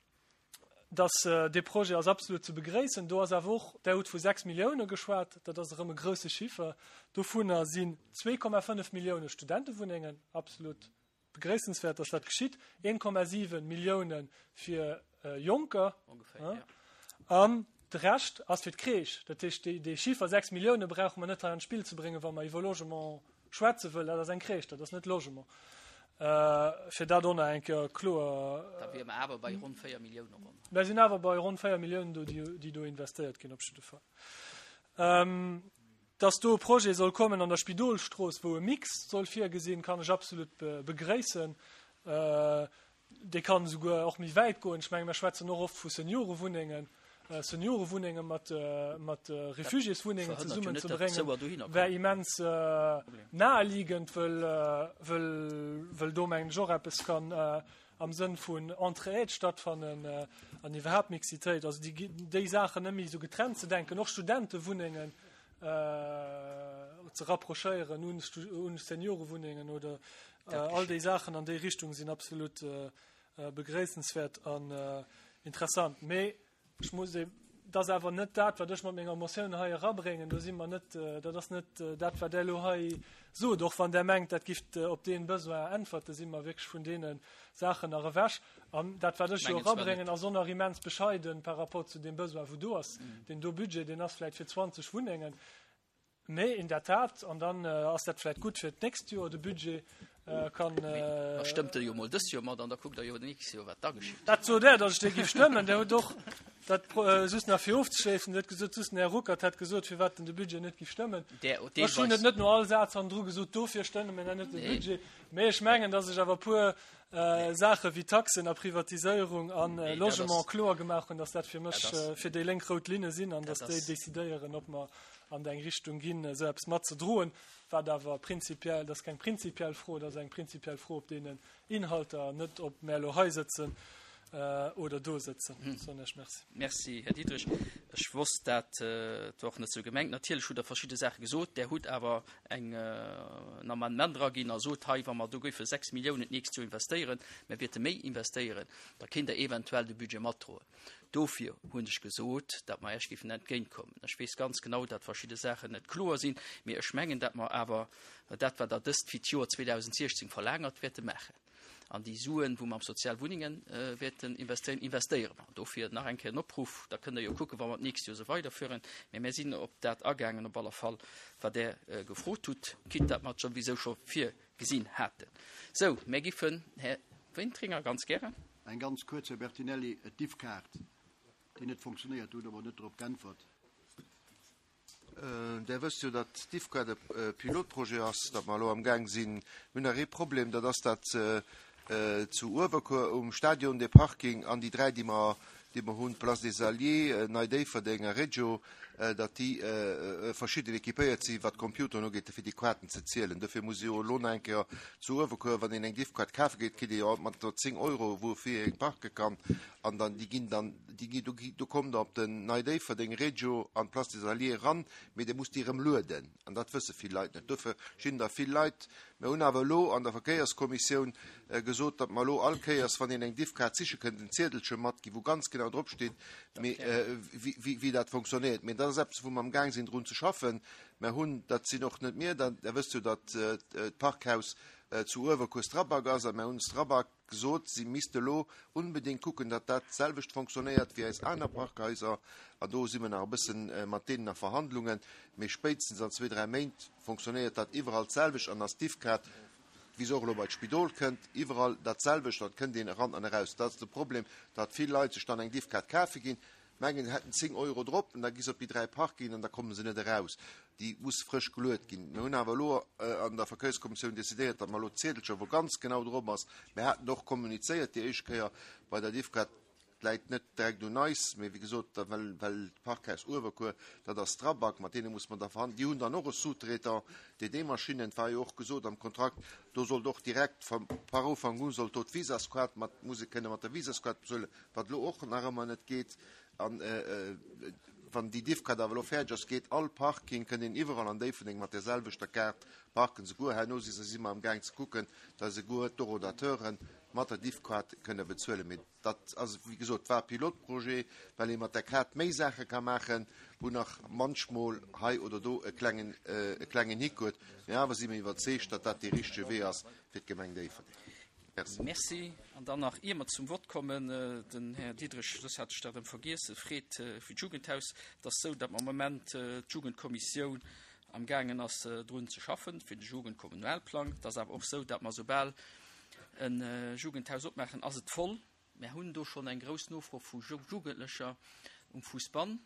dass äh, dee Projet ass absolut ze begréissen. Do ass awer och der huet vu sechs Millioune geschwat, dat ass erëm e grousse Chiffer. Dovunner sinn zwee Komma fënnef Millioune Studentewunnengen, absolut begréissenswäert, dass dat geschitt. een Komma siwe Millioune fir äh, Jonker. Ongeféier, ja. An de Rescht ass fir d'Crèche. Dat heescht, déi, déi Chiffer sechs Millioune brauche mer net hei an d'Spill ze bréngen, wa mer iwwer Logement schwätze wëllen. Dat ass eng Crèche, dat ass net Logement. Äh, fir dat och nach eng Kéier kloer. Da wiere mer awer bei ronn véier Millioune ronn. Mer sinn awer bei ronn véier Milliounen do, déi, déi do investéiert ginn op jidde Fall. Ähm, dass do e Projet soll kommen an der Spidolstrooss, wou e Mix soll virgesinn, kann ech absolut be begréissen. Äh, Dee kann esouguer och méi wäit goen. Ech menge mir schwätzen och oft vu Seniorewunnengen, Seniorewunnenge mat mat Refugiéswunnengen Verhënnert jo net, datt zesummenzebréngen, d'Souer dohinner wär kommen. immens naheliegend, wëll wëll wëll do mengen ech och eppes kann am Sënn vun Entraide stattfannen an iwwerhaapt Mixitéit. Also déi déi Saachen net méi esou getrennt ze denken, och Studentewunnengen ze rapprochéieren un un Seniorewunnengen oder Dat all déi geschitt. Saachen an déi Richtung sinn absolut begréissenswäert an interessant. Mee ech muss e, dat ass awer net dat, wat ech mat menger Motioun hei erabréngen. Do si mer net, dat ass net dat, wat Der elo hei sot. Och wann Der mengt, dat giff op dee Besoin äntwerten, si mer wierklech vun deene Saachen nach ewech. An dat, wat ech jo Mengen zwar net. erabréngen, ass och nach immens bescheiden par rapport zu deem Besoin, wou do ass. Deen do Budget, deen ass vläicht fir zwanzeg Wunnengen. Mee in der Tat, an dann ass dat vläicht gutt fir d'nächst Joer, de Budget kann. Mee da stëmmt Der jo emol dëst Joer mat an da kuckt Der jo d'nächst Joer, wat da geschitt. Dat sot Der, datt ech dee géif stëmmen. Der hutt och dat, just nach fir ofzeschléissen, Der hutt gesot, just den Här Ruckert hätt gesot, firwat en de Budget net géif stëmmen. Der Ech hunn et deelweis. net no all Saz hannendru gesot, dofir stëmme mir net de Budget. Mee ech mengen, datt ech awer e puer Saache wéi Taxen a Privatiséierung a Logement kloer gemaach hunn, datt dat fir mech, fir déi Lénk rout Linne sinn an datt déi decidéieren, ob mer an eng Richtung ginn, esou eppes matzedroen, wat awer prinzipiell, dat ass keng prinzipiell Fro, dat ass eng prinzipiell Fro op deenen Inhalter, net ob mär elo hei sëtzen oder do sëtzen. Soen ech Merci. Merci, Här Diderich. Ech wosst, dat war och net esou gemengt. Natierlech hutt Der verschidde Saache gesot. Der hutt awer eng, en Amendement eraginn a sot hei, wa mer do géife sechs Milliounen d'nächst Joer investéieren, mer wäerte méi investéieren, da kéint Der eventuell de Budget matdroen. Dofir hunn ech gesot, datt mer Iech géifen entgéintkommen. Ech weess ganz genau, datt verschidde Saachen net kloer sinn, mee ech mengen, datt mer awer dat, wat Der dëst fir d'Joer zweedausendziechzéng verlaangert, wäerte maachen. An déi Suen, wou mer am Sozialwunnenge wäerten investéieren, investéiere mer. Dofir nach eng Kéier en Opruff, da kënnt Der jo kucken, wa mer d'nächst Joer esou weiderfueren. Mee mir sinn op dat agaangen, op alle Fall, wat Der gefrot hutt, quitte datt mer et souwisou scho virgesinn haten. Sou, mir giffen, Här Wintringer, ganz gären. Eng ganz kuerz, Här Bertinelli, d'Diffkaart, déi net fonctionnéiert, do hutt Der mer net drop geäntwert. Der wësst jo, datt d'Diffkaart e Pilotprojet ass, datt mer elo amgaang sinn. Mir hunn nach ee Problem, dat ass, datt zu Uewerkuer um Stadion dee Parking an déi dräi, déi mer, déi mer hunn, Place des Alliés, Nei Déifferdeng a Reggio, datt déi verschidden équipéiert sinn, wat d'Computeren ugeet, fir déi Kaarten ze zielen. Dofir muss ee jo elo nach eng Kéier zu Uewerkuer, wann een eng Diffkaart kafe geet, kritt ee jo alt mat zéng Euro, woufir ee parke kann. An dann, déi ginn dann, déi gi, do gi, do kommt Der op den Nei Déifferdeng, Reggio an d'Place des Alliés eran, mee Dir musst déi erëm lueden. An dat wësse vill Leit net. Dofir stinn der vill Leit. Mir hunn awer elo an der Verkéierskommissioun gesot, datt mer elo all Kéiers, wann een eng Diffkaart siche kënnt, en Ziedelche matginn, wou ganz genau drop steet, wéi dat fonctionnéiert. Mee dat ass eppes, wou mer amgaang sinn, drun ze schaffen. Mer hunn, dat sinn och net mir, Der wësst jo, datt d'Parkhaus zu Uewerkuer Strabag ass, a mer hunn Strabag gesot, si misste elo unbedéngt kucken, datt dat d'selwecht fonctionnéiert wéi eis aner Parkhaiser. An do si mer nach e bëssen mat deenen a Verhandlungen. Mee spéitstens an zwee, dräi Méint fonctionnéiert dat iwwerall d'selwecht an ass d'Diffkaart, wéi se och elo bei d'Spidol kënnt, iwwerall dat selwecht. Dann kënnt een eran an eraus. Dat ass de Problem, datt vill Leit sech dann eng Diffkaart kafe ginn, mengen, se hätten zéng Euro drop, an da gi se op déi dräi Parkingen an da komme se net eraus. Déi muss frësch geluet ginn. Mir hunn awer elo an der Verkéierskommissioun decidéiert, datt mer elo d'Ziedelcher, wou ganz genau drop ass, mir haten och kommunizéiert déi éischt Kéier bei der Diffkaart, läit net direkt un eis, mee wéi gesot, da well well d'Parkhaus Uewerkuer, dat ass Strabag, mat deene muss mer da verhandelen. Déi hunn dann och e Sous-traitant, D D-Maschinnen, et war jo och gesot am Kontrakt, do sollt och direkt vum par Ufank u sollt do d'Visaskaart mat, muss ee kënne mat der Visaskaart bezuelen, wat elo och nach ëmmer net geet. An wann déi Diffkaart awer elo fäerdeg ass, geet all Parking, kënnt een iwwerall an Déifferdeng mat där selwechter Kaart parken. Souguer herno si si mer amgaang ze kucken, datt esouguer d'Horodateuren mat der Diffkaart kënne bezuelen. Mee dat ass, wéi gesot, war e Pilotprojet, well ee mat där Kaart méi Saache ka maachen, wou nach munchmol hei oder do e klengen, e klengen Hick huet. Mee awer si mir iwwerzeegt, datt dat dee richtege Wee ass fir d'Gemeng Déifferdeng. Merci. Merci. An dann nach, ier mer zum Vott kommen, den Här Diderich, soss hat ech dat erëm vergiess, freet fir d'Jugendhaus. Et ass esou, datt am Moment d'Jugendkommissioun amgaangen ass, drun ze schaffen, fir de Jugendkommunalplang. Et ass awer och esou, datt mer, soubal e Jugendhaus opmaachen, ass et voll. Mer hunn do schonn eng grouss Nofro vu Jugendlecher um Fousbann.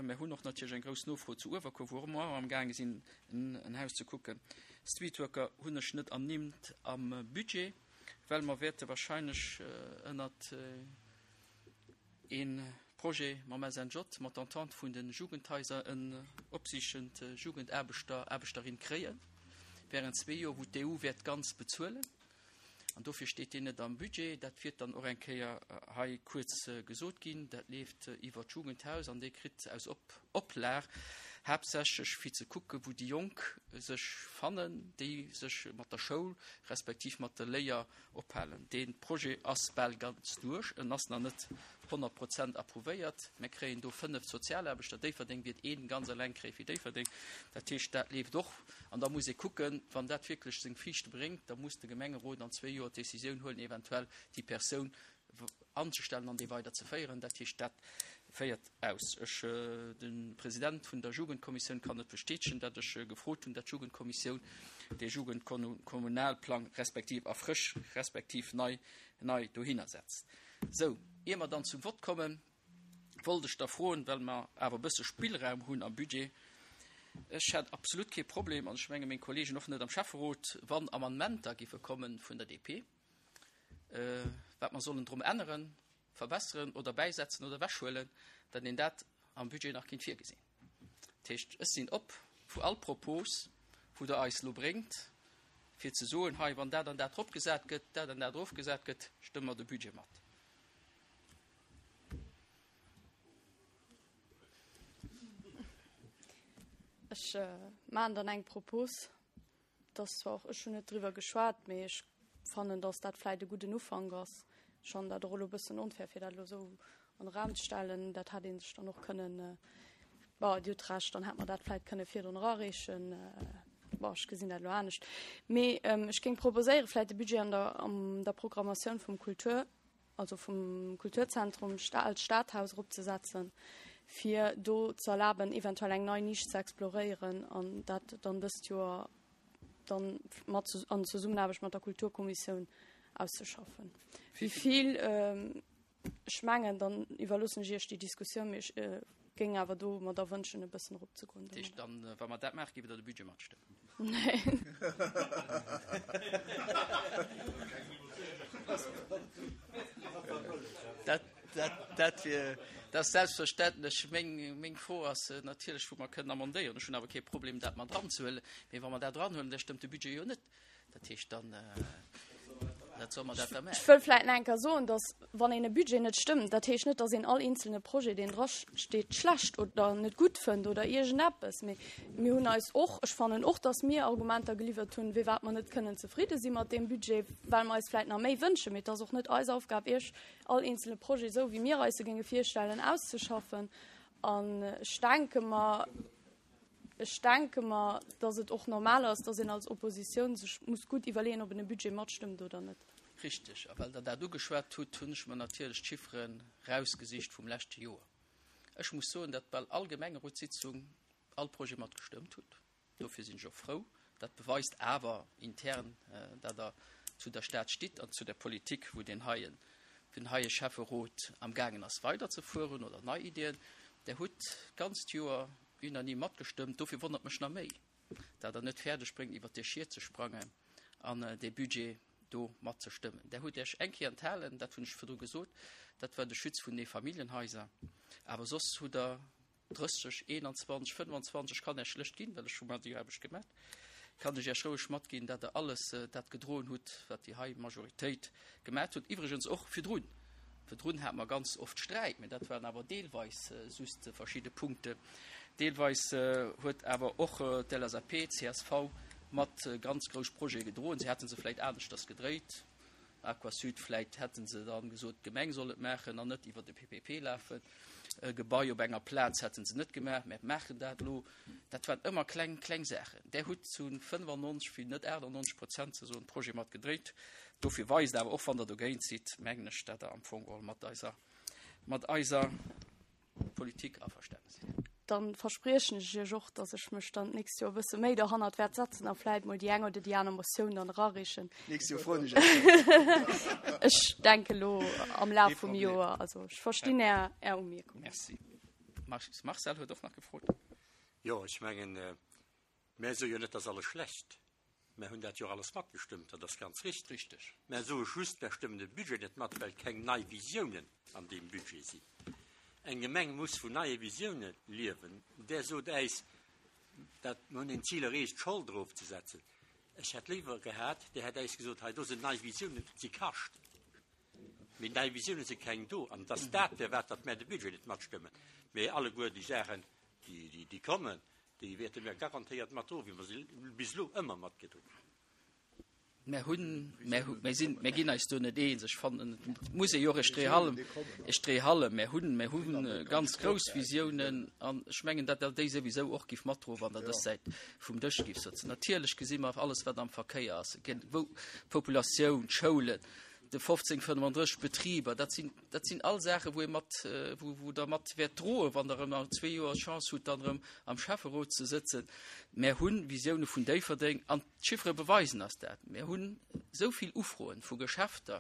Mer hunn och natierlech eng grouss Nofro zu Uewerkuer, wou mer och amgaange sinn, en Haus ze kucken. Streetworker hunn ech net ernimmt am Budget, well mer wäerte wahrscheinlech ënnert ee Projet mam S N J, mat Entente vun de Jugendhaiser, en opsichend Jugendaarbechter, Aarbechterin kréien während zwee Joer, wou d'E U wäert ganz bezuelen. An dofir steet deen net am Budget. Dat wäert dann och eng Kéier hei kuerz gesot ginn. Dat leeft iwwer d'Jugendhaus an dee kritt aus Oplag haaptsächlech fir ze kucken, wou déi Jonk sech fannen, déi sech mat der Schoul respektiv mat der Léier ophalen. Dee Projet ass bal ganz duerch, en ass nach net honnert Prozent approuvéiert. Mir kréien do fënnef Sozialaarbechter. Déifferdeng wäert een ganz eleng kréie fir Déifferdeng. Dat heescht, dat leeft och. An da muss ee kucken, wann dat wierklech seng Friichte bréngt, da muss de Gemengerot an zwee Joer d'Decisioun huelen, eventuell déi Persoun anzestellen an déi weider ze féieren. Dat heescht, dat féiert aus. Ech, de President vun der Jugendkommissioun kann et bestätegen, datt ech gefrot hunn, datt d'Jugendkommissioun dee Jugendkommunalplang respektiv erfrëscht respektiv nei, nei dohinner setzt. Sou, ier mer dann zum Vott kommen, wollt ech da froen, well mer awer e bësse Spillraum hunn am Budget, ech hätt absolut kee Problem, an ech menge meng Kollegen och net am Schäfferot, wann Amendementer géife komme vun der D P, wat mer sollen drum änneren, verbesseren oder bäisetzen oder ewechhuelen, datt een dat am Budget nach kinnt virgesinn. Dat heescht, ech sinn op vu all Propos, wou Der eis elo bréngt, fir ze soen, hei, wann dat an dat dropgesat gëtt, dat an dat erofgesat gëtt, stëmme mer de Budget mat. Ech maachen dann eng Propos, dass zwar och, ech hunn net driwwer geschwat, mee ech fannen, dass dat vläicht e gudden Ufank ass. Ech fannen dat och elo e bëssen onfair, fir dat elo esou an de Raum ze stellen. Dat hätt ee sech dann och kënnen, bon, Dir hutt Recht, dann hätt mer dat vläicht kënne virdrun erareechen. Bon, ech gesinn dat elo anescht. Mee ech géing proposéieren, vläicht de Budget an der, an der Programmatioun vum Kultur, also vum Kulturzentrum als Stadhaus eropzesetzen, fir do ze erlaben, eventuell eng nei Nisch ze exploréieren an dat dann dëst Joer dann mat an Zesummenaarbecht mat der Kulturkommissioun auszeschaffen. Wéi vill, ech mengen, dann iwwerloossen ech Iech déi Diskussioun, mee ech géing awer do mer da wënschen, e bëssen eropzegoen. Dat heescht dann, wa mer dat maachen, géift Der de Budget matstëmmen? Neen. Dat, dat, dat wier, dat ass selbstverständlech. Meng, meng Fro ass natierlech, wou mer kënnen amendéieren. Ech hunn awer kee Problem, dat mat eranzehuelen. Mee wa mer dat eranhuelen, da stëmmt de Budget jo net. Dat heescht dann, dat soll mer dat da maachen. Ech wëll vläicht nach eng Kéier soen, dass, wann een e Budget net stëmmt, dat heescht net, dass een all eenzelne Projet, deen drasteet, schlecht oder net gutt fënnt oder iergendeppes. Mee mir hunn eis och, ech fannen och, dass mir Argumenter geliwwert hunn, firwat mer net kënnen zefridde si mat deem Budget, well mer eis vläicht nach méi wënschen. Mee et ass och net eis Aufgab, Iech all eenzelne Projet, esou wéi mir eis e géinge virstellen, auszeschaffen. An ech denke mer, ech denke mer, dass et och normal ass, dass een als Oppositioun sech muss gutt iwwerleeën, ob en e Budget matstëmmt oder net. Richteg. A well Der dat ugeschwat hutt, hunn ech mer natierlech d'Chiffere rausgesicht vum leschte Joer. Ech muss soen, datt bal all Gemengerotssitzung all Projet matgestëmmt hutt. Dofir sinn ech och frou. Dat beweist awer intern, datt Der zu der Stad stitt an zu der Politik, wou deen heien, den heie Schäfferot am gaangen ass weiderzefueren oder nei Iddien. Der hutt d'ganzt Joer unanime matgestëmmt. Dofir wonnert mech nach méi, datt Der net fäerdeg bréngt, iwwert dee Schiet ze sprangen an dee Budget do matzestëmmen. Der hutt Iech eng Kéier enthalen, dat hunn ech virdru gesot, dat war de Schutz vun de Familljenhaiser. Awer soss hutt Der drësseg, eenanzwanzeg, fënnefanzwanzeg, ech kann Iech schlecht ginn, well ech hu mer déi Aarbecht gemat, kann ech Iech roueg matginn, datt Der alles dat gedroen hutt, wat déi hei Majoritéit gemat hutt. Iwwregens och virdrun. Virdrun hate mer ganz oft Sträit, mä dat waren awer deelweis just verschidde Punkte. Deelweis huet awer och d'L S A P, d'C S V mat ganz grouss Projete gedroen. Si hätte se vläicht aneschters gedréit. Aquasud, vläicht hätte se dann gesot, d'Gemeng soll et maachen an net iwwer de P P P lafen. E Gebai op enger Plaz hätte se net gemaach, mä maachen dat elo. Dat waren ëmmer kleng, kleng Saachen. Där hutt zu fënnefannonzeg, fir net aachtannonzeg Prozent ze soen, Projet mat gedréit. Dofir weist awer och, wann Der dogéint sidd, mengen ech, datt Der am Fong geholl mat eiser, mat eiser Politik averstane sidd. Dann verspriechen ech Iech och, datt ech mech dann d'nächst Joer e bësse méi derhannert wäert setzen a vläit mol déi eng oder déi aner Motioun dann erareechen. D'nächst Joer froen ech Iech. Ech denke lo am Laf Kee vum Problem. Joer. Also ech verstinn Är, Är Umierkung. Merci. Marcel huet och nach gefrot. Jo, ech mengen, mär soe jo net, dass alles schlecht. Mer hunn dat jo och alles matgestëmmt, dat ass ganz richteg. Richteg. Mer soe just, mer stëmmen de Budget net mat, well keng nei Visiounen an deem Budget sinn. Eng Gemeng muss vun neie Visiounen liewen. Där sot äis, dat mer hunn een Zil erreecht, d'Schold erofzesetzen. Ech hätt léiwer gehat, Dir hätt äis gesot, hei do sinn nei Visiounen, si kascht. Mee nei Visiounen si keng do. An et ass dat, firwat datt mär de Budget net matstëmmen. Mee alleguer déi Saachen, déi, déi kommen, déi wäerte mär garantéiert matdroen, wéi mer se bis elo ëmmer matgedroen hunn. Mär hunn, mär hu, mär sinn, mär ginn eis do net eens. Ech fannen, et muss ee jo och e Stréihallem, e Stréihallem, mär hunn, mär hu ganz grouss Visiounen an ech mengen, datt Der déi souwisou och giff matdroen, wann Der dës Säit vum Dësch giff sëtzen. Natierlech gesi mer alles, wat am Verkéier ass, wou d'Populatioun, d'Schoulen, de fofzéng fënnefandrësseg Betriber, dat sinn, dat sinn all Saachen, wou ee mat, wou, wou Der mat wäert droen, wann Der erëm an zwee Joer d'Chance hutt, dann erëm am Schäfferot ze sëtzen. Mär hu Visioune vun Déifferdeng an d'Chiffere beweisen eis dat. Mär hunn esou vill Ufroen vu Geschäfter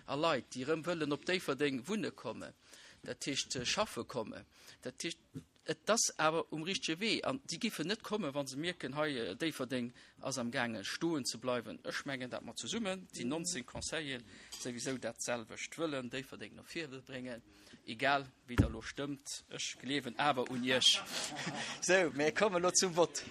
a Leit, déi erëm wëllen op Déifferdeng wunne kommen, dat heescht schaffe kommen. Dat heescht, Et ass awer um richtege Wee an déi giffen net kommen, wa se mierken, hei Déifferdeng ass am gaange stoen ze bleiwen. Ech mengen, datt mer zesummen, déi nonzéng Conseilleren, souwisou dat selwecht wëllen, Déifferdeng no vir bréngen, egal wéi Der elo stëmmt. Ech gleewen awer un Iech. Sou, mir kommen elo zum Vott.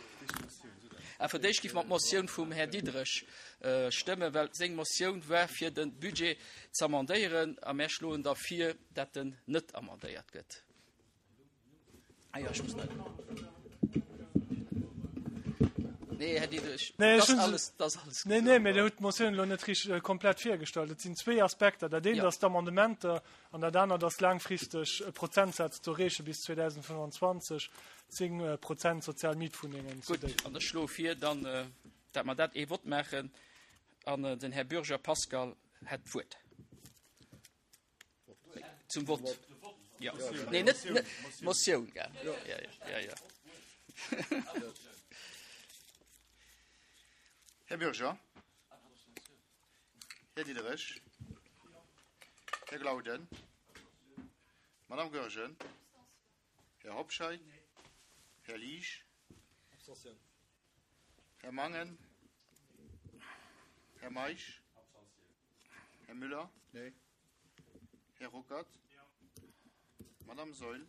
A fir d'éischt gi mer d'Motioun vum Här Diderich stëmmen, well seng Motioun war, fir de Budget z'amendéieren, a mär schloen da vir, datt en net amendéiert gëtt. Ah ja, ech muss net. Nee, Här Diderich, Nee, das ech hunn alles, das alles Nee, nee, mee Dir hutt d'Motioun elo net richteg äh, komplett virgestallt. Et sinn zwee Aspekter. Dat eent Ja. ass d'Amendementer an dat anert ass laangfristeg e Prozentsaz ze erreeche bis zweedausendfënnwanzwanzeg, zéng äh, Prozent sozial Mietwunnengen zu Gutt, Déifferdeng. an ech schloe vir, dann, äh, dat mer dat ee Vott maachen an äh, den Här Bürger Pascal hätt d'Wuert. Zum Vott. Ja. Nee, net, net Motioun, gell? Ja, ja, ja, ja. Här Bürger. Här Diderich. Här Glauden. Madame Goergen. Här Hobscheit. Här Liesch. Här Mangen. Här Meisch. Här Müller. Nee. Här Ruckert. Madame Saeul.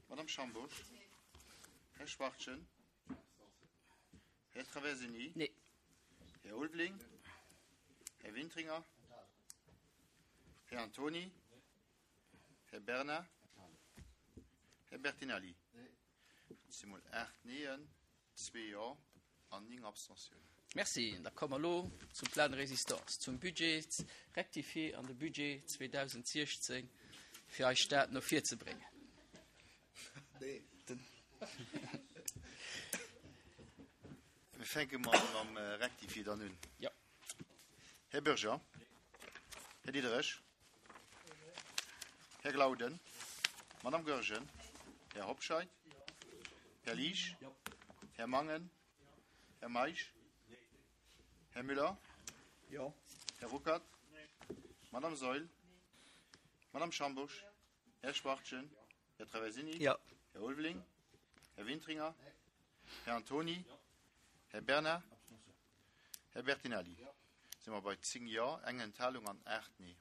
Madame Schambusch. Här Schwachtgen. Här Traversini. Nee. Här Ulveling. Här Wintringer. Här Antoni. Här Bernard. Här Bertinelli. Et si mol aacht Neeën, zwee Jo an néng Abstentiounen. Merci. Da komme mer elo zum Plan de résistance, zum Budget rectifié an de Budget zweedausentsiechzéng, fir eis Stad no vir ze bréngen. Mir fänke mol mam Rectifié dann un. Jo. Här Bürger. Här Diderich. Här Glauden. Madame Goergen. Här Hobscheit. Här Liesch. Här Mangen. Här Meisch. Här Müller. Jo. Här Ruckert. Madame Saeul. Madame Schambusch. Här Schwachtgen. Här Traversini. Jo. Här Ulveling. Här Wintringer. Här Antoni. Här Bernard. Här Bertinelli. Si mer bei zéng Jo, eng Enthalung an aacht Nee.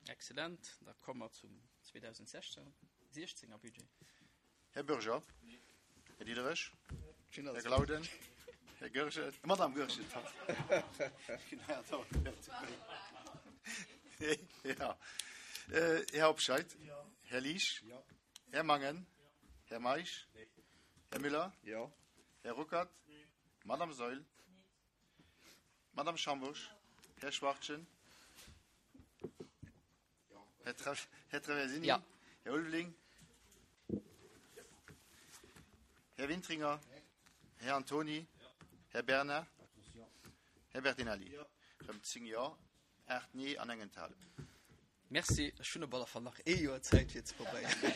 Excellent. Da komme mer zum zweedausendsechzénger Budget. Här Bürger. Här Diderich. Här Glauden. Här Goergen. Madame Goergen, pardon. Ja. Här Hobscheit. Här Liesch. Här Mangen. Här Meisch. Här Müller. Här Ruckert. Madame Saeul. Madame Schambusch. Här Schwachtgen. Här Tra Här Traversini. Ja. Här Ulveling. Här Wintringer. Här Antoni. Här Bernard. Här Bertinelli. Rëm zéng Jo, aacht Nee an eng Enthalung. Merci. Ech hunn op alle Fall nach ee Joer Zäit fir ze probéieren.